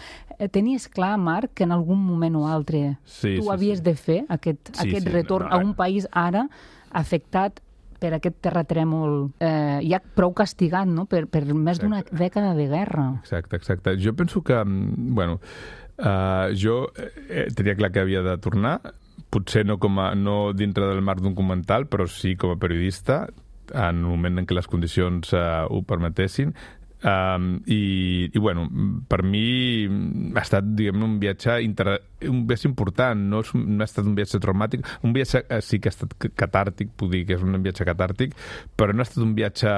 Tenies clar, Marc, que en algun moment o altre sí, tu sí, havies sí. de fer aquest, sí, aquest sí, retorn no, no, a un país ara afectat per aquest terratrèmol eh, ja prou castigat, no? Per, per més d'una dècada de guerra. Exacte, exacte. Jo penso que, bueno, uh, jo eh, tenia clar que havia de tornar, potser no, com a, no dintre del marc d'un documental, però sí com a periodista, en el moment en què les condicions uh, ho permetessin. Um, i, i bueno, per mi ha estat, diguem, un viatge inter... un viatge important, no, és, no ha estat un viatge traumàtic, un viatge eh, sí que ha estat catàrtic, puc dir que és un viatge catàrtic, però no ha estat un viatge,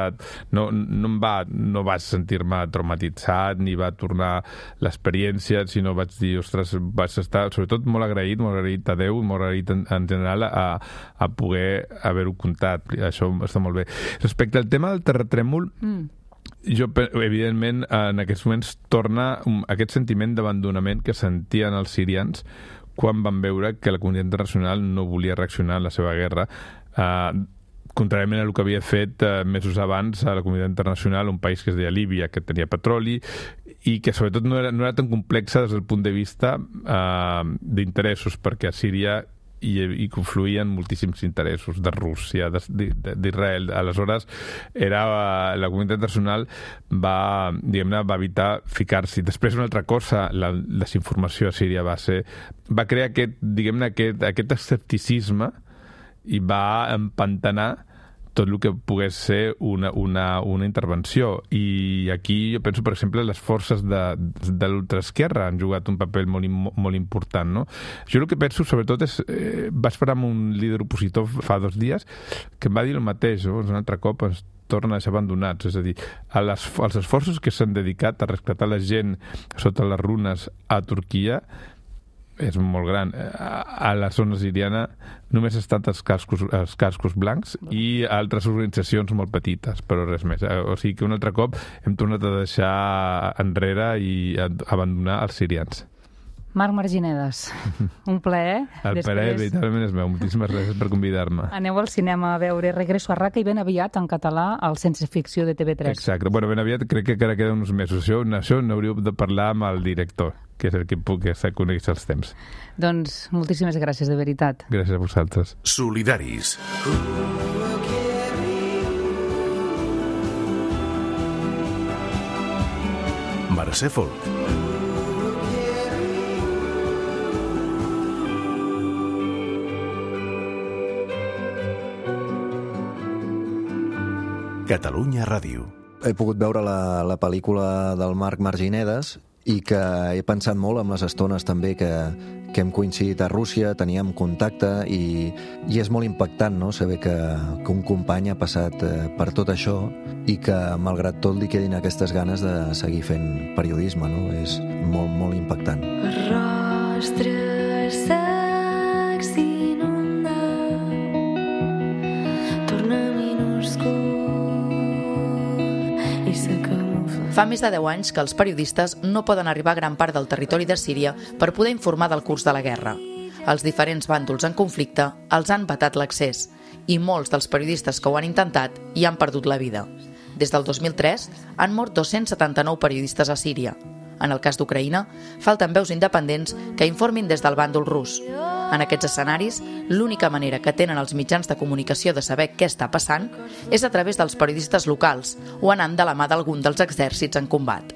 no, no em va, no vaig sentir-me traumatitzat, ni va tornar l'experiència, sinó vaig dir, ostres, vaig estar sobretot molt agraït, molt agraït a Déu, molt agraït en, en general a, a poder haver-ho contat, això està molt bé. Respecte al tema del terratrèmol, mm. jo, evidentment, en aquests moments torna aquest sentiment d'abandonament que sentien els sirians quan van veure que la comunitat internacional no volia reaccionar a la seva guerra, eh, contràriament a el que havia fet eh, mesos abans a la comunitat internacional, un país que es deia Líbia, que tenia petroli, i que sobretot no era, no era tan complexa des del punt de vista eh, d'interessos, perquè a Síria i, i confluïen moltíssims interessos de Rússia, d'Israel. Aleshores, era, la comunitat internacional va, diguem-ne, va evitar ficar-s'hi. Després, una altra cosa, la desinformació a Síria va ser... va crear aquest, diguem-ne, aquest, aquest escepticisme i va empantanar tot el que pogués ser una, una, una intervenció. I aquí jo penso, per exemple, les forces de, de l'ultraesquerra han jugat un paper molt, molt important, no? Jo el que penso, sobretot, és... Eh, vaig parar amb un líder opositor fa dos dies que em va dir el mateix, no? Un altre cop ens tornen a deixar abandonats, és a dir, a les, als esforços que s'han dedicat a rescatar la gent sota les runes a Turquia és molt gran. A la zona siriana només ha estat els cascos, els cascos blancs i altres organitzacions molt petites, però res més. O sigui que un altre cop hem tornat a deixar enrere i a abandonar els sirians. Marc Marginedes, un plaer. El plaer, veritablement és meu. Moltíssimes gràcies per convidar-me. Aneu al cinema a veure Regreso a Raqqa i ben aviat en català al Sense Ficció de T V tres. Exacte. Bueno, ben aviat crec que encara queden uns mesos. Això, això n'hauríeu de parlar amb el director, que és el que puc conèixer els temps. Doncs moltíssimes gràcies, de veritat. Gràcies a vosaltres. Solidaris. Mercè Folk. Catalunya Ràdio. He pogut veure la, la pel·lícula del Marc Marginedes i que he pensat molt amb les estones també que, que hem coincidit a Rússia, teníem contacte i, i és molt impactant, no?, saber que, que un company ha passat eh, per tot això i que, malgrat tot, li quedin aquestes ganes de seguir fent periodisme, no? És molt, molt impactant. Rostres secs inunda, torna minúscul i s'acamufla. Fa més de deu anys que els periodistes no poden arribar a gran part del territori de Síria per poder informar del curs de la guerra. Els diferents bàndols en conflicte els han vetat l'accés i molts dels periodistes que ho han intentat hi han perdut la vida. Des del dos mil tres han mort dos-cents setanta-nou periodistes a Síria. En el cas d'Ucraïna, falten veus independents que informin des del bàndol rus. En aquests escenaris, l'única manera que tenen els mitjans de comunicació de saber què està passant és a través dels periodistes locals o anant de la mà d'algun dels exèrcits en combat.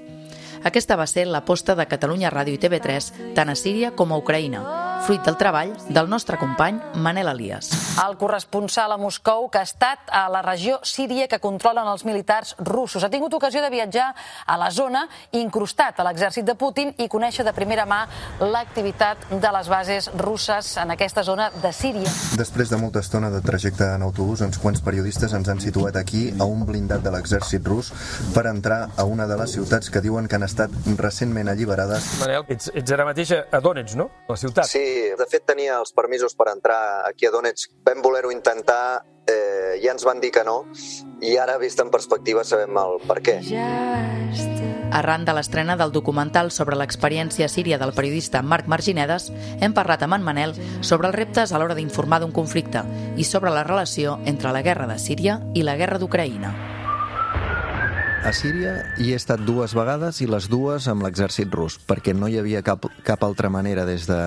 Aquesta va ser l'aposta de Catalunya Ràdio i T V tres tant a Síria com a Ucraïna, fruit del treball del nostre company Manel Elias. El corresponsal a Moscou, que ha estat a la regió síria que controlen els militars russos. Ha tingut ocasió de viatjar a la zona, incrustat a l'exèrcit de Putin i conèixer de primera mà l'activitat de les bases russes en aquesta zona de Síria. Després de molta estona de trajecte en autobús, uns quants periodistes ens han situat aquí a un blindat de l'exèrcit rus per entrar a una de les ciutats que diuen que han estat recentment alliberades. Manel, ets, ets ara mateix a Donetsk, no? A la ciutat. Sí, de fet tenia els permisos per entrar aquí a Donetsk. Vam voler-ho intentar, eh, ja ens van dir que no, i ara, vist en perspectiva, sabem el per què. Arran de l'estrena del documental sobre l'experiència síria del periodista Marc Marginedes, hem parlat amb en Manel sobre els reptes a l'hora d'informar d'un conflicte i sobre la relació entre la guerra de Síria i la guerra d'Ucraïna. A Síria hi he estat dues vegades i les dues amb l'exèrcit rus, perquè no hi havia cap, cap altra manera des de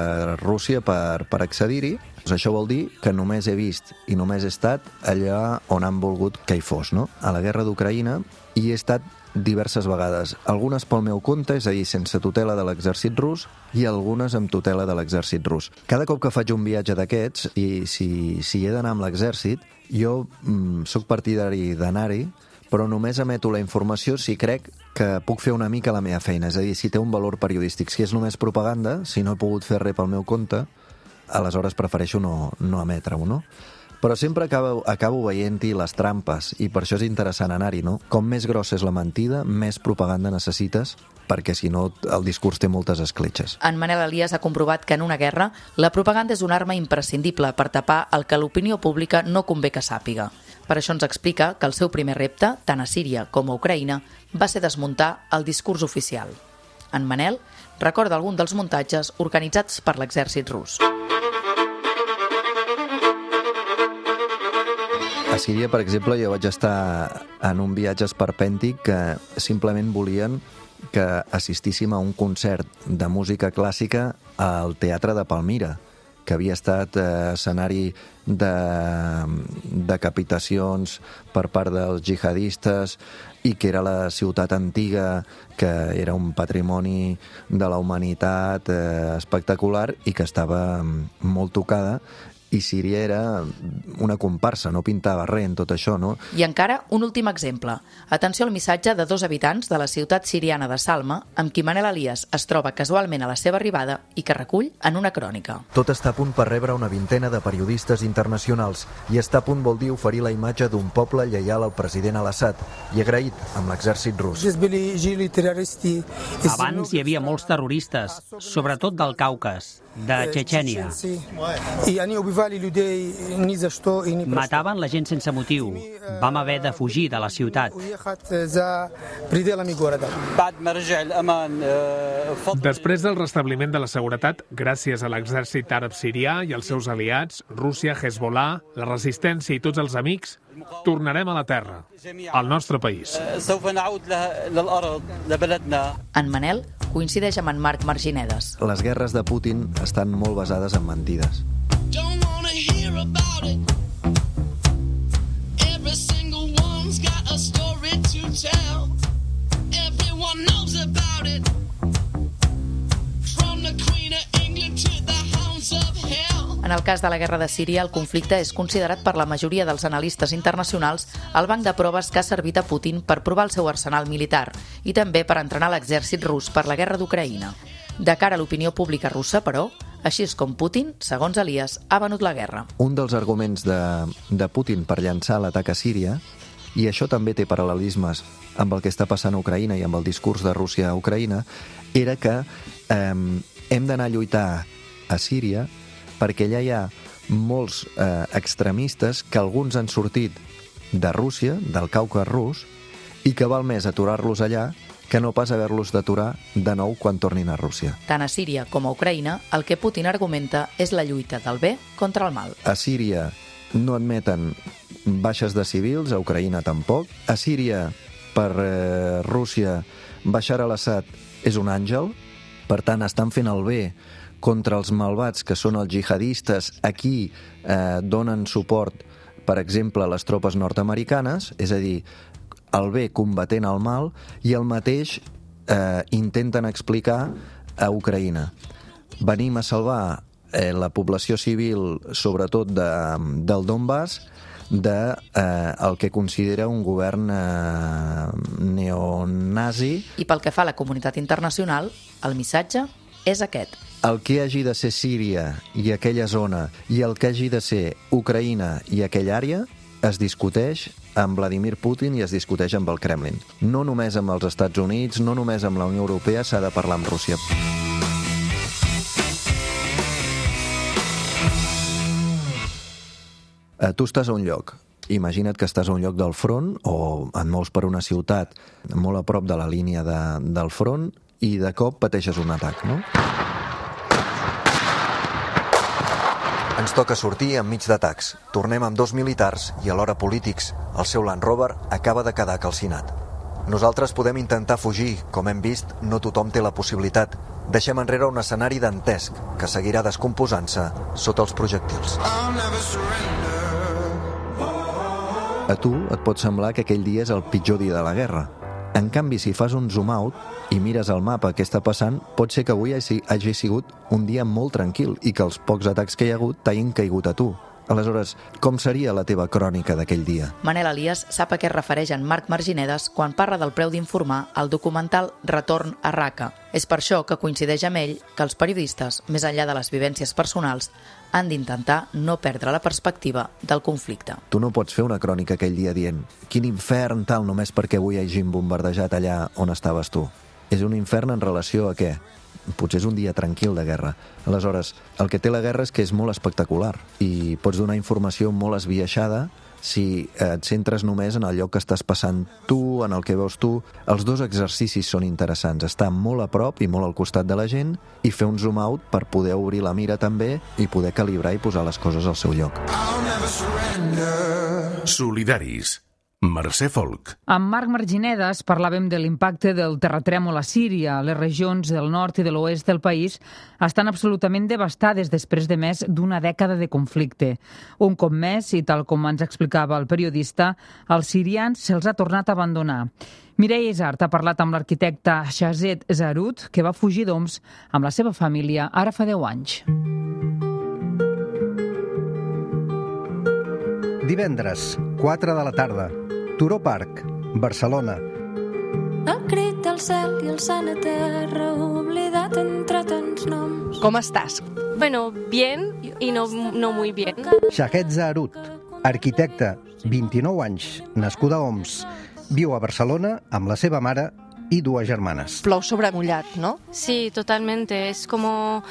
Rússia per, per accedir-hi. Això vol dir que només he vist i només he estat allà on han volgut que hi fos, no? A la guerra d'Ucraïna hi he estat diverses vegades, algunes pel meu compte, és a dir, sense tutela de l'exèrcit rus, i algunes amb tutela de l'exèrcit rus. Cada cop que faig un viatge d'aquests, i si, si he d'anar amb l'exèrcit, jo mm, sóc partidari d'anar-hi, però només emeto la informació si crec que puc fer una mica la meva feina, és a dir, si té un valor periodístic. Si és només propaganda, si no he pogut fer res pel meu compte, aleshores prefereixo no, no emetre-ho, no? Però sempre acabo, acabo veient-hi les trampes, i per això és interessant anar-hi, no? Com més grossa és la mentida, més propaganda necessites, perquè si no el discurs té moltes escletxes. En Manel Elias ha comprovat que en una guerra la propaganda és una arma imprescindible per tapar el que l'opinió pública no convé que sàpiga. Per això ens explica que el seu primer repte, tant a Síria com a Ucraïna, va ser desmuntar el discurs oficial. En Manel recorda algun dels muntatges organitzats per l'exèrcit rus. A Síria, per exemple, jo vaig estar en un viatge esperpèntic que simplement volien que assistíssim a un concert de música clàssica al Teatre de Palmira, que havia estat eh, escenari de decapitacions per part dels jihadistes i que era la ciutat antiga, que era un patrimoni de la humanitat eh, espectacular i que estava molt tocada, i Síria era una comparsa, no pintava res en tot això, no? I encara un últim exemple. Atenció al missatge de dos habitants de la ciutat siriana de Salma, amb qui Manel Elias es troba casualment a la seva arribada i que recull en una crònica. Tot està a punt per rebre una vintena de periodistes internacionals i està a punt vol dir oferir la imatge d'un poble lleial al president al-Assad i agraït amb l'exèrcit rus. Abans hi havia molts terroristes, sobretot del Caucas, de Txetxènia. Mataven la gent sense motiu. Vam haver de fugir de la ciutat. Després del restabliment de la seguretat, gràcies a l'exèrcit àrab sirià i als seus aliats, Rússia, Hezbollah, la resistència i tots els amics, tornarem a la terra, al nostre país. En Manel coincideix amb en Marc Marginedes. Les guerres de Putin estan molt basades en mentides. En el cas de la guerra de Síria, el conflicte és considerat per la majoria dels analistes internacionals el banc de proves que ha servit a Putin per provar el seu arsenal militar i també per entrenar l'exèrcit rus per la guerra d'Ucraïna. De cara a l'opinió pública russa, però, així és com Putin, segons Elias, ha venut la guerra. Un dels arguments de, de Putin per llançar l'atac a Síria, i això també té paral·lelismes amb el que està passant a Ucraïna i amb el discurs de Rússia a Ucraïna, era que eh, hem d'anar a lluitar a Síria perquè allà hi ha molts eh, extremistes que alguns han sortit de Rússia, del Caucas rus, i que val més aturar-los allà que no pas haver-los d'aturar de nou quan tornin a Rússia. Tant a Síria com a Ucraïna, el que Putin argumenta és la lluita del bé contra el mal. A Síria no admeten baixes de civils, a Ucraïna tampoc. A Síria, per eh, Rússia, Bashar al-Assad és un àngel, per tant estan fent el bé contra els malvats que són els jihadistes. Aquí eh, donen suport, per exemple, a les tropes nord-americanes, és a dir, el bé combatent el mal, i el mateix eh, intenten explicar a Ucraïna. Venim a salvar eh, la població civil, sobretot de, del Donbass, de eh, el que considera un govern eh, neonazi. I pel que fa a la comunitat internacional, el missatge és aquest. El que hagi de ser Síria i aquella zona i el que hagi de ser Ucraïna i aquella àrea es discuteix amb Vladimir Putin i es discuteix amb el Kremlin. No només amb els Estats Units, no només amb la Unió Europea, s'ha de parlar amb Rússia. Tu estàs a un lloc. Imagina't que estàs a un lloc del front o et mous per una ciutat molt a prop de la línia de, del front i de cop pateixes un atac, no? Ens toca sortir enmig d'atacs. Tornem amb dos militars i alhora polítics. El seu Land Rover acaba de quedar calcinat. Nosaltres podem intentar fugir. Com hem vist, no tothom té la possibilitat. Deixem enrere un escenari dantesc que seguirà descomposant-se sota els projectils. A tu et pot semblar que aquell dia és el pitjor dia de la guerra. En canvi, si fas un zoom out i mires el mapa què està passant, pot ser que avui hagi sigut un dia molt tranquil i que els pocs atacs que hi ha hagut t'hagin caigut a tu. Aleshores, com seria la teva crònica d'aquell dia? Manel Elias sap a què es refereix en Marc Marginedes quan parla del preu d'informar al documental Retorn a Raqqa. És per això que coincideix amb ell que els periodistes, més enllà de les vivències personals, han d'intentar no perdre la perspectiva del conflicte. Tu no pots fer una crònica aquell dia dient quin infern tal només perquè avui hagin bombardejat allà on estaves tu. És un infern en relació a què? Potser és un dia tranquil de guerra. Aleshores, el que té la guerra és que és molt espectacular i pots donar informació molt esbiaixada si et centres només en el lloc que estàs passant tu, en el que veus tu. Els dos exercicis són interessants, estar molt a prop i molt al costat de la gent i fer un zoom out per poder obrir la mira també i poder calibrar i posar les coses al seu lloc. Solidaris. Mercè Folk. Amb Marc Marginedes parlàvem de l'impacte del terratrèmol a Síria. Les regions del nord i de l'oest del país estan absolutament devastades després de més d'una dècada de conflicte. Un cop més, i tal com ens explicava el periodista, als sirians se'ls ha tornat a abandonar. Mireia Isart ha parlat amb l'arquitecte Shazet Zarut, que va fugir d'Homs amb la seva família ara fa deu anys. Divendres, quatre de la tarda, Turó Park, Barcelona. El crit del cel i el sant a terra, oblidat entre tants noms. Com estàs? Bueno, bien y no, no muy bien. Shahed Zaharut, arquitecta, vint-i-nou anys, nascuda a Oms, viu a Barcelona amb la seva mare i dues germanes. Plou sobre mullat, ¿no? Sí, totalmente. Es como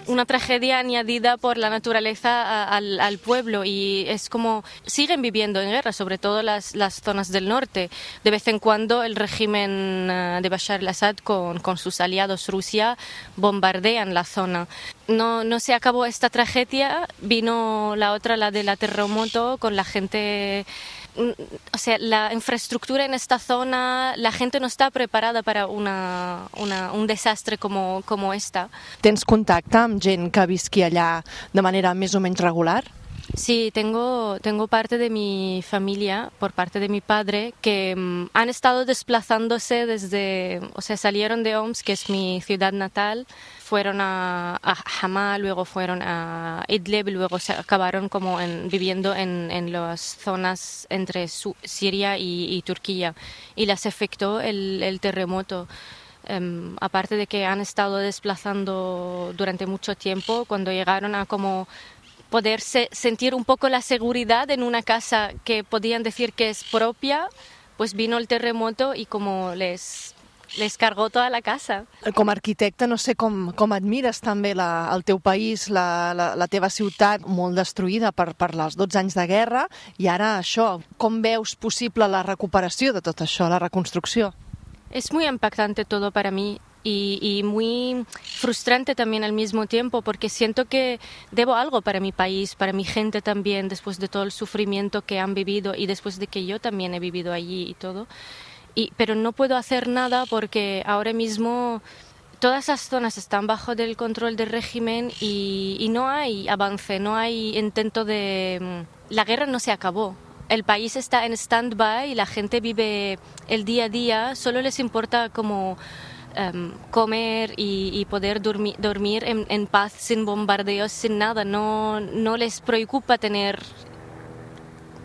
una tragedia añadida por la naturaleza a, al, al pueblo y es como siguen viviendo en guerra, sobre todo las, las zonas del norte. De vez en cuando el régimen uh, de Bashar al-Assad con, con sus aliados Rusia bombardean la zona. No, no se acabó esta tragedia, vino la otra, la de la terremoto, con la gente... O sea, la infraestructura en esta zona, la gente no está preparada para una, una, un desastre como, como esta. Tens contacte amb gent que visqui allà de manera més o menys regular? Sí, tengo, tengo parte de mi familia, por parte de mi padre, que um, han estado desplazándose desde, o sea, salieron de Oms, que es mi ciudad natal, fueron a, a Hama, luego fueron a Idlib, luego se acabaron como en, viviendo en, en las zonas entre Su- Siria y, y Turquía, y les afectó el, el terremoto. Um, aparte de que han estado desplazando durante mucho tiempo, cuando llegaron a como poderse sentir un poco la seguridad en una casa que podían decir que es propia, pues vino el terremoto y como les, les cargó toda la casa. Com a arquitecte, no sé com, com admires també la, el teu país, la, la, la teva ciutat molt destruïda per, per els dotze anys de guerra, i ara això, com veus possible la recuperació de tot això, la reconstrucció? Es muy impactante todo para mí. Y, y muy frustrante también al mismo tiempo, porque siento que debo algo para mi país, para mi gente también, después de todo el sufrimiento que han vivido y después de que yo también he vivido allí y todo. Y, pero no puedo hacer nada porque ahora mismo todas las zonas están bajo del control del régimen y, y no hay avance, no hay intento de... La guerra no se acabó. El país está en stand-by y la gente vive el día a día, solo les importa como... Um, comer y, y poder dormi- dormir en, en paz, sin bombardeos, sin nada. No, no les preocupa tener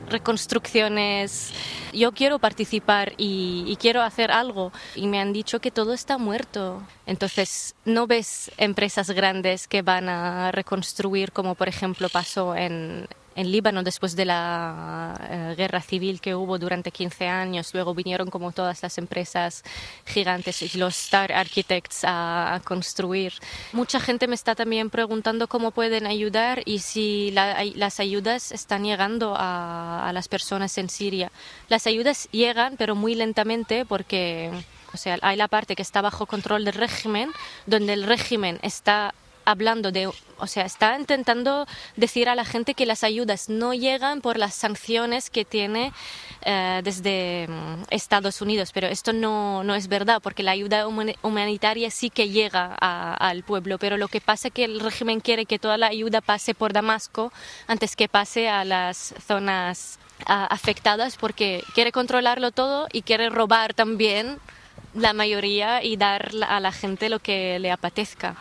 reconstrucciones. Yo quiero participar y, y quiero hacer algo. Y me han dicho que todo está muerto. Entonces, no ves empresas grandes que van a reconstruir, como por ejemplo pasó en... en Líbano después de la uh, guerra civil que hubo durante quince años. Luego vinieron como todas las empresas gigantes y los Star Architects a, a construir. Mucha gente me está también preguntando cómo pueden ayudar y si la, las ayudas están llegando a, a las personas en Siria. Las ayudas llegan, pero muy lentamente porque, o sea, hay la parte que está bajo control del régimen, donde el régimen está hablando de, o sea, está intentando decir a la gente que las ayudas no llegan por las sanciones que tiene eh, desde um, Estados Unidos, pero esto no, no es verdad, porque la ayuda humanitaria sí que llega a, al pueblo, pero lo que pasa es que el régimen quiere que toda la ayuda pase por Damasco antes que pase a las zonas uh, afectadas, porque quiere controlarlo todo y quiere robar también la mayoría y dar a la gente lo que le apetezca.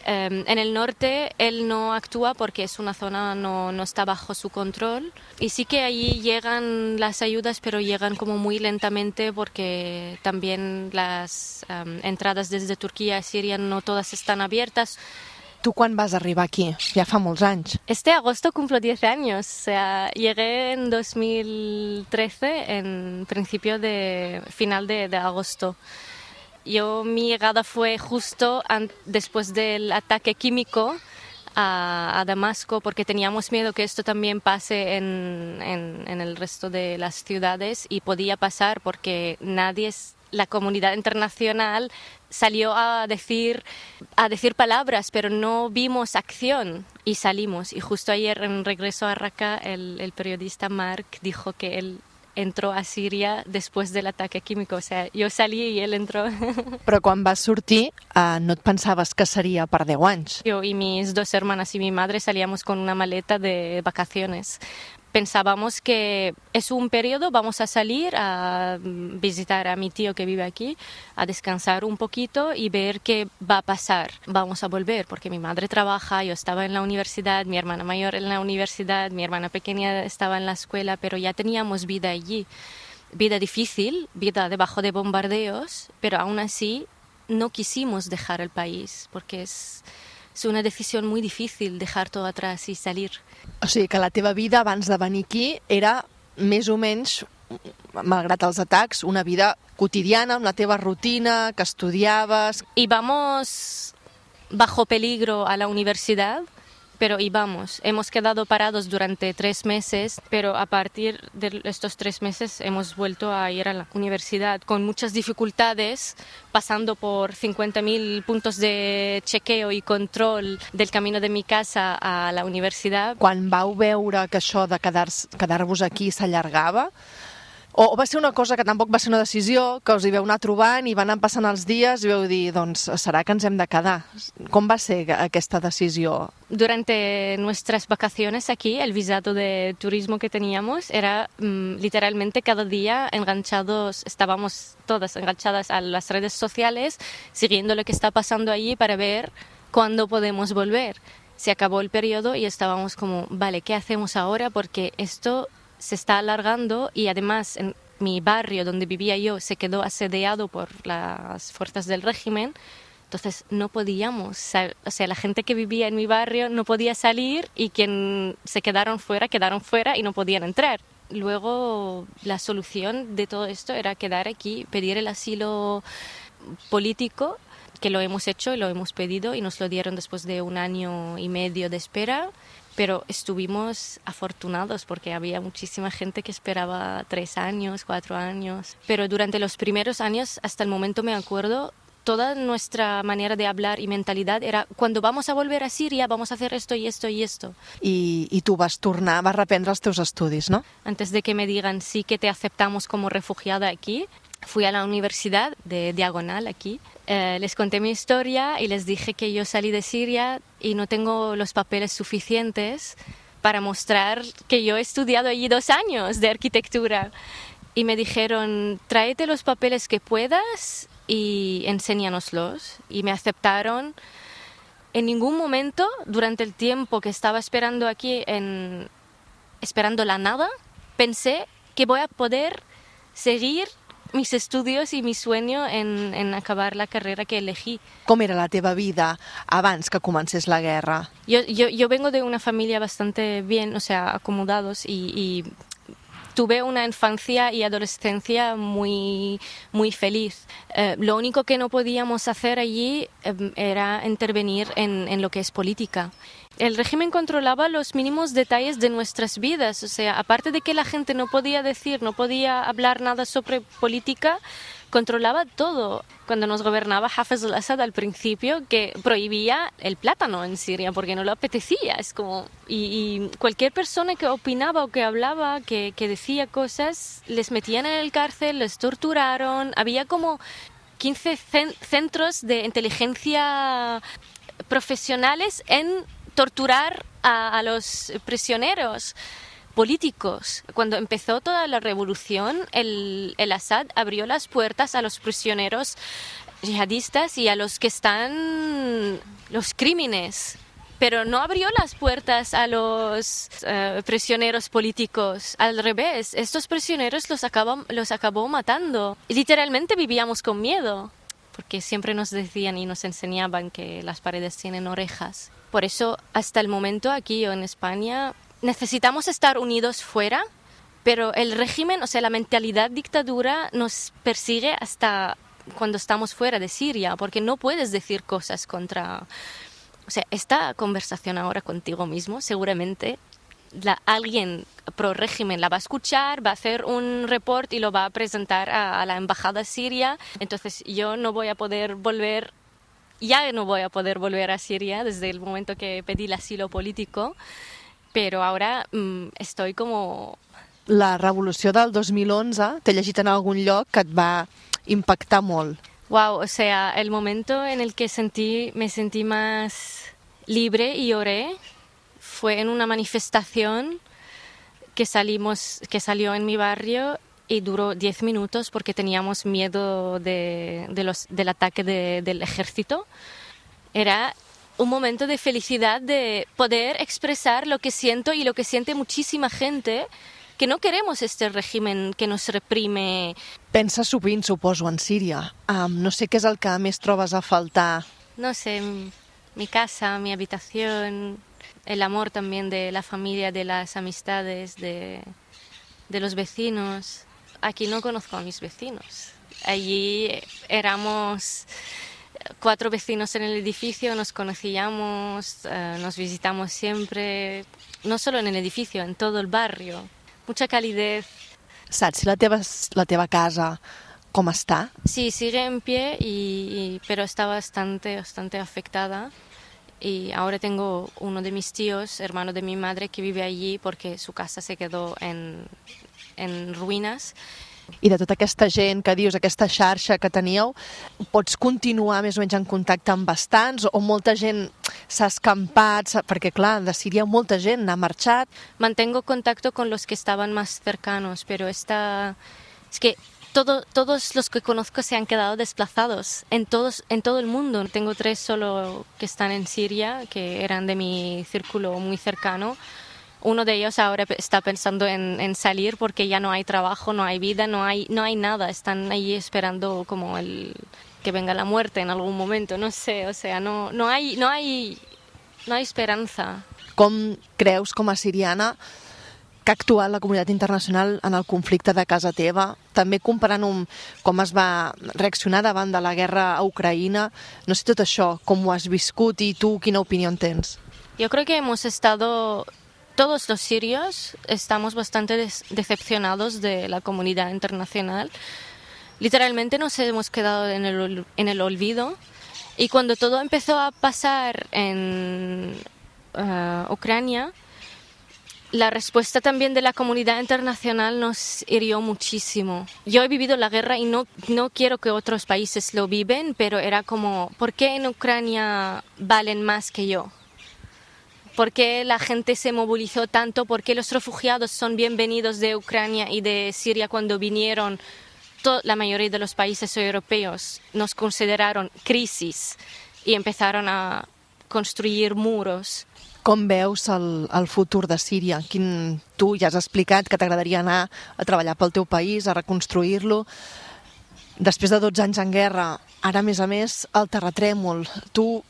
Um, en el norte él no actúa porque es una zona no, no está bajo su control y sí que allí llegan las ayudas, pero llegan como muy lentamente porque también las um, entradas desde Turquía a Siria no todas están abiertas. ¿Tú quan vas arribar aquí? Ja fa molts anys. Este agosto cumplo diez años, o sea, llegué en dos mil trece, en principio de final de, de agosto. Yo, mi llegada fue justo an- después del ataque químico a, a Damasco, porque teníamos miedo que esto también pase en, en, en el resto de las ciudades y podía pasar porque nadie, es, la comunidad internacional salió a decir, a decir palabras, pero no vimos acción y salimos. Y justo ayer en regreso a Raqqa, el, el periodista Mark dijo que él entró a Síria después del ataque químico. O sea, yo salí y él entró. Però quan vas sortir, eh, no et pensaves que seria per deu anys? Yo y mis dos hermanas y mi madre salíamos con una maleta de vacaciones. pensábamos que es un periodo, vamos a salir a visitar a mi tío que vive aquí, a descansar un poquito y ver qué va a pasar. Vamos a volver porque mi madre trabaja, yo estaba en la universidad, mi hermana mayor en la universidad, mi hermana pequeña estaba en la escuela, pero ya teníamos vida allí. Vida difícil, vida debajo de bombardeos, pero aún así no quisimos dejar el país porque es... És una decisió molt difícil dejar tot atrás i salir. O sigui que la teva vida abans de venir aquí era més o menys, malgrat els atacs, una vida quotidiana, amb la teva rutina, que estudiaves... Íbamos bajo peligro a la universidad, pero íbamos. Hemos quedado parados durante tres meses, pero a partir de estos tres meses hemos vuelto a ir a la universidad con muchas dificultades, pasando por cincuenta mil puntos de chequeo y control del camino de mi casa a la universidad. Quan vau veure que això de quedar-vos quedar aquí s'allargava, o va ser una cosa que tampoc va ser una decisió, que us hi veu anar trobant i van anar passant els dies i vau dir, doncs serà que ens hem de quedar. Com va ser aquesta decisió? Durante nuestras vacaciones aquí, el visado de turismo que teníamos era mmm, literalmente cada día enganchados, estábamos todas enganchadas a las redes sociales, siguiendo lo que está pasando allí para ver cuándo podemos volver. Se acabó el periodo y estábamos como, vale, ¿qué hacemos ahora? Porque esto se está alargando y además en mi barrio donde vivía yo se quedó asediado por las fuerzas del régimen, entonces no podíamos, o sea, la gente que vivía en mi barrio no podía salir y quien se quedaron fuera, quedaron fuera y no podían entrar. Luego la solución de todo esto era quedar aquí, pedir el asilo político, que lo hemos hecho y lo hemos pedido y nos lo dieron después de un año y medio de espera. Pero estuvimos afortunados porque había muchísima gente que esperaba tres años, cuatro años. Pero durante los primeros años, hasta el momento me acuerdo, toda nuestra manera de hablar y mentalidad era cuando vamos a volver a Siria vamos a hacer esto y esto y esto. I, i tu vas tornar, vas reprendre els teus estudis, no? Antes de que me digan sí que te aceptamos como refugiada aquí, fui a la universidad de Diagonal aquí, eh, les conté mi historia y les dije que yo salí de Siria y no tengo los papeles suficientes para mostrar que yo he estudiado allí dos años de arquitectura. Y me dijeron, tráete los papeles que puedas y enséñanoslos. Y me aceptaron. En ningún momento, durante el tiempo que estaba esperando aquí, en, esperando la nada, pensé que voy a poder seguir mis estudios y mi sueño en, en acabar la carrera que elegí. Com era la teva vida abans que comencés la guerra? Yo, yo, yo vengo de una familia bastante bien, o sea, acomodados y, y tuve una infancia y adolescencia muy, muy feliz. Eh, lo único que no podíamos hacer allí eh, era intervenir en, en lo que es política. El régimen controlaba los mínimos detalles de nuestras vidas, o sea, aparte de que la gente no podía decir, no podía hablar nada sobre política, controlaba todo. Cuando nos gobernaba Hafez al-Assad al principio, que prohibía el plátano en Siria porque no le apetecía, es como... Y, y cualquier persona que opinaba o que hablaba, que, que decía cosas, les metían en el cárcel, les torturaron, había como quince centros de inteligencia profesionales en torturar a, a los prisioneros políticos. Cuando empezó toda la revolución, el, el Assad abrió las puertas a los prisioneros yihadistas y a los que están los crímenes, pero no abrió las puertas a los uh, prisioneros políticos. Al revés, estos prisioneros los acabó, los acabó matando. Literalmente vivíamos con miedo, porque siempre nos decían y nos enseñaban que las paredes tienen orejas. Por eso, hasta el momento, aquí en España, necesitamos estar unidos fuera, pero el régimen, o sea, la mentalidad dictadura nos persigue hasta cuando estamos fuera de Siria, porque no puedes decir cosas contra... O sea, esta conversación ahora contigo mismo, seguramente la, alguien pro régimen la va a escuchar, va a hacer un report y lo va a presentar a, a la embajada siria. Entonces yo no voy a poder volver... Ya no voy a poder volver a Siria desde el momento que pedí el asilo político, però ara mm, estoy como... La revolució del dos mil onze, t'he llegit en algun lloc que et va impactar molt. Wow, o sea, el momento en el que sentí, me sentí más libre y lloré fue en una manifestación que, salimos, que salió en mi barrio y duró diez minutos porque teníamos miedo de, de los, del ataque de, del ejército. Era un momento de felicidad de poder expresar lo que siento y lo que siente muchísima gente, que no queremos este régimen que nos reprime. Penses sovint, suposo, en Síria. Um, no sé què és el que més trobes a faltar. No sé, mi casa, mi habitación, el amor también de la familia, de las amistades, de, de los vecinos. Aquí no conozco a mis vecinos. Allí éramos cuatro vecinos en el edificio, nos conocíamos, eh, nos visitamos siempre, no solo en el edificio, en todo el barrio. Mucha calidez. Saps si la teva, la teva casa com està? Sí, sigue en pie, y, y, pero está bastante, bastante afectada. Y ahora tengo uno de mis tíos, hermano de mi madre, que vive allí porque su casa se quedó en, en ruïnes. I de tota aquesta gent que dius, aquesta xarxa que teníeu, pots continuar més o menys en contacte amb bastants o molta gent s'ha escampat? Perquè, clar, de Síria molta gent n'ha marxat. Mantengo contacto con los que estaban más cercanos, pero esta... es que todo, todos los que conozco se han quedado desplazados en, todos, en todo el mundo. Tengo tres solo que están en Siria, que eran de mi círculo muy cercano. Uno de ellos ahora está pensando en, en salir porque ya no hay trabajo, no hay vida, no hay, no hay nada. Están allí esperando como el, que venga la muerte en algún momento, no sé, o sea, no, no, hay, no, hay, no hay esperanza. Com creus, com a siriana, que ha actuat la comunitat internacional en el conflicte de casa teva? També comparant amb com es va reaccionar davant de la guerra a Ucraïna. No sé tot això, com ho has viscut i tu quina opinió en tens? Yo creo que hemos estado... Todos los sirios estamos bastante des- decepcionados de la comunidad internacional. Literalmente nos hemos quedado en el, en el olvido. Y cuando todo empezó a pasar en uh, Ucrania, la respuesta también de la comunidad internacional nos hirió muchísimo. Yo he vivido la guerra y no, no quiero que otros países lo viven, pero era como, ¿por qué en Ucrania valen más que yo? ¿Por qué la gente se movilizó tanto? ¿Por qué los refugiados son bienvenidos de Ucrania y de Siria cuando vinieron? To- la mayoría de los países europeos nos consideraron crisis y empezaron a construir muros. Com veus el, el futur de Síria? Quin, tu ja has explicat que t'agradaria anar a treballar pel teu país, a reconstruir-lo. Després de dotze anys en guerra, ara, a més a més, el terratrèmol. Tu,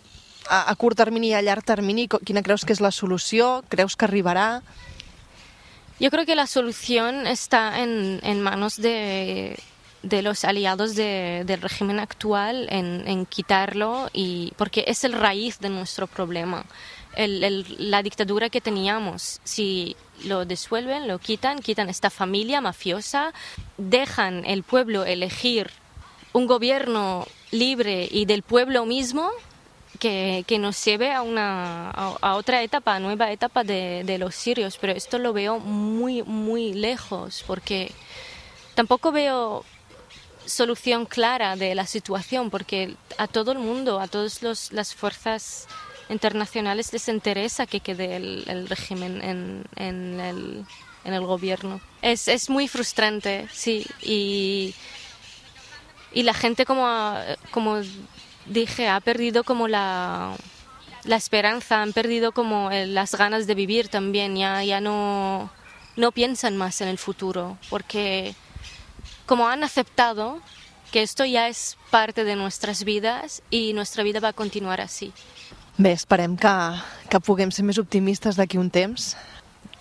a, a curt termini i a llarg termini, quina creus que és la solució? Creus que arribarà? Yo creo que la solución está en, en manos de, de los aliados de, del régimen actual, en, en quitarlo, y, porque es el raíz de nuestro problema. El, el, la dictadura que teníamos, si lo disuelven, lo quitan, quitan esta familia mafiosa, dejan el pueblo elegir un gobierno libre y del pueblo mismo, que, que nos lleve a, una, a, a otra etapa, a nueva etapa de, de los sirios. Pero esto lo veo muy, muy lejos, porque tampoco veo solución clara de la situación, porque a todo el mundo, a todas los, las fuerzas internacionales les interesa que quede el, el régimen en, en, el, en el gobierno. Es, es muy frustrante, sí, y, y la gente, como, como dije, ha perdido como la, la esperanza, han perdido como el, las ganas de vivir también, ya, ya no, no piensan más en el futuro, porque como han aceptado que esto ya es parte de nuestras vidas y nuestra vida va a continuar así. Bé, esperem que, que puguem ser més optimistes d'aquí un temps.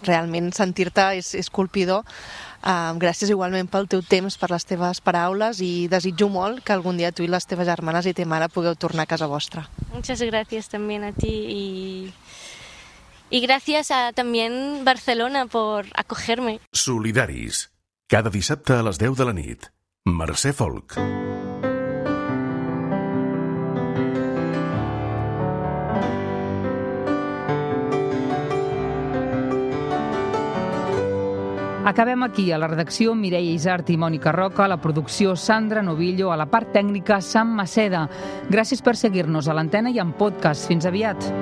Realment sentir-te és, és colpidor. Uh, gràcies igualment pel teu temps, per les teves paraules, i desitjo molt que algun dia tu i les teves germanes i ta mare pugueu tornar a casa vostra. Muchas gracias también a ti y, y gracias a también Barcelona por acogerme. Solidaris. Cada dissabte a les deu de la nit. Mercè Folk. Acabem aquí. A la redacció, Mireia Isart i Mònica Roca, a la producció, Sandra Novillo, a la part tècnica, Sam Maceda. Gràcies per seguir-nos a l'antena i en podcast. Fins aviat.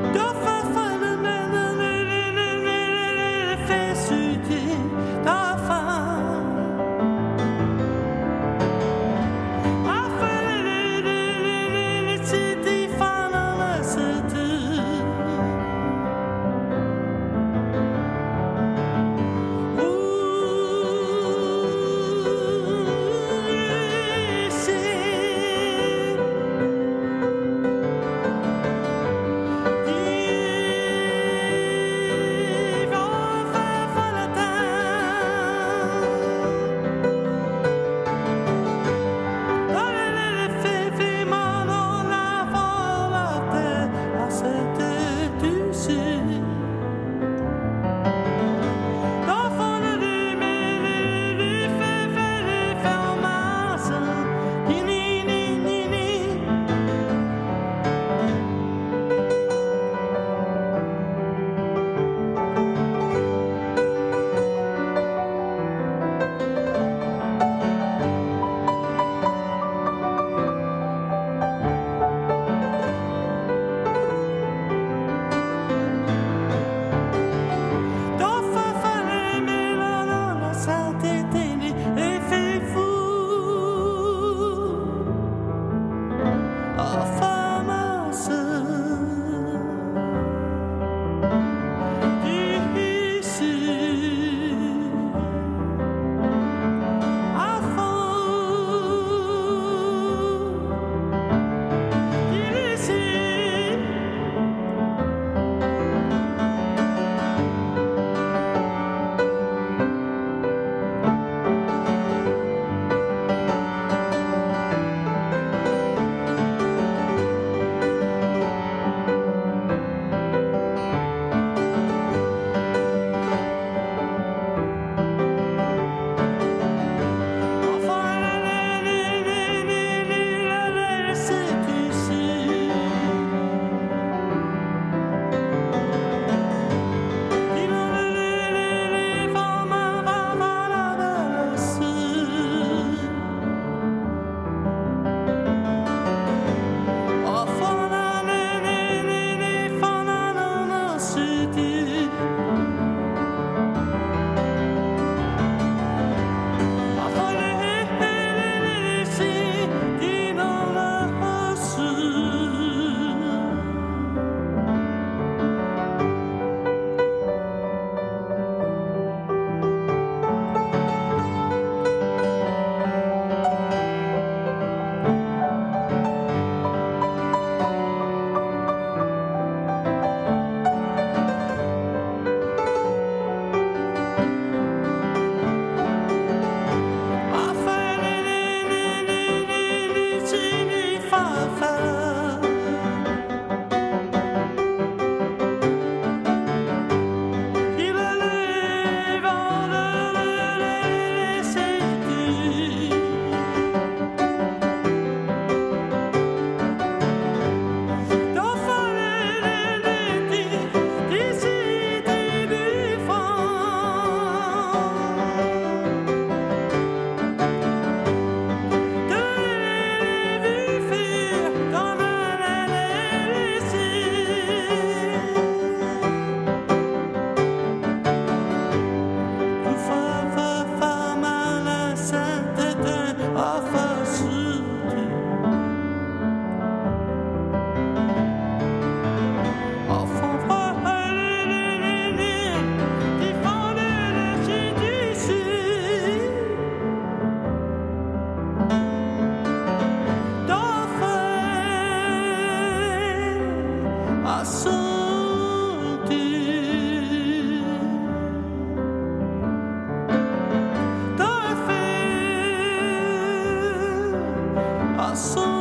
I saw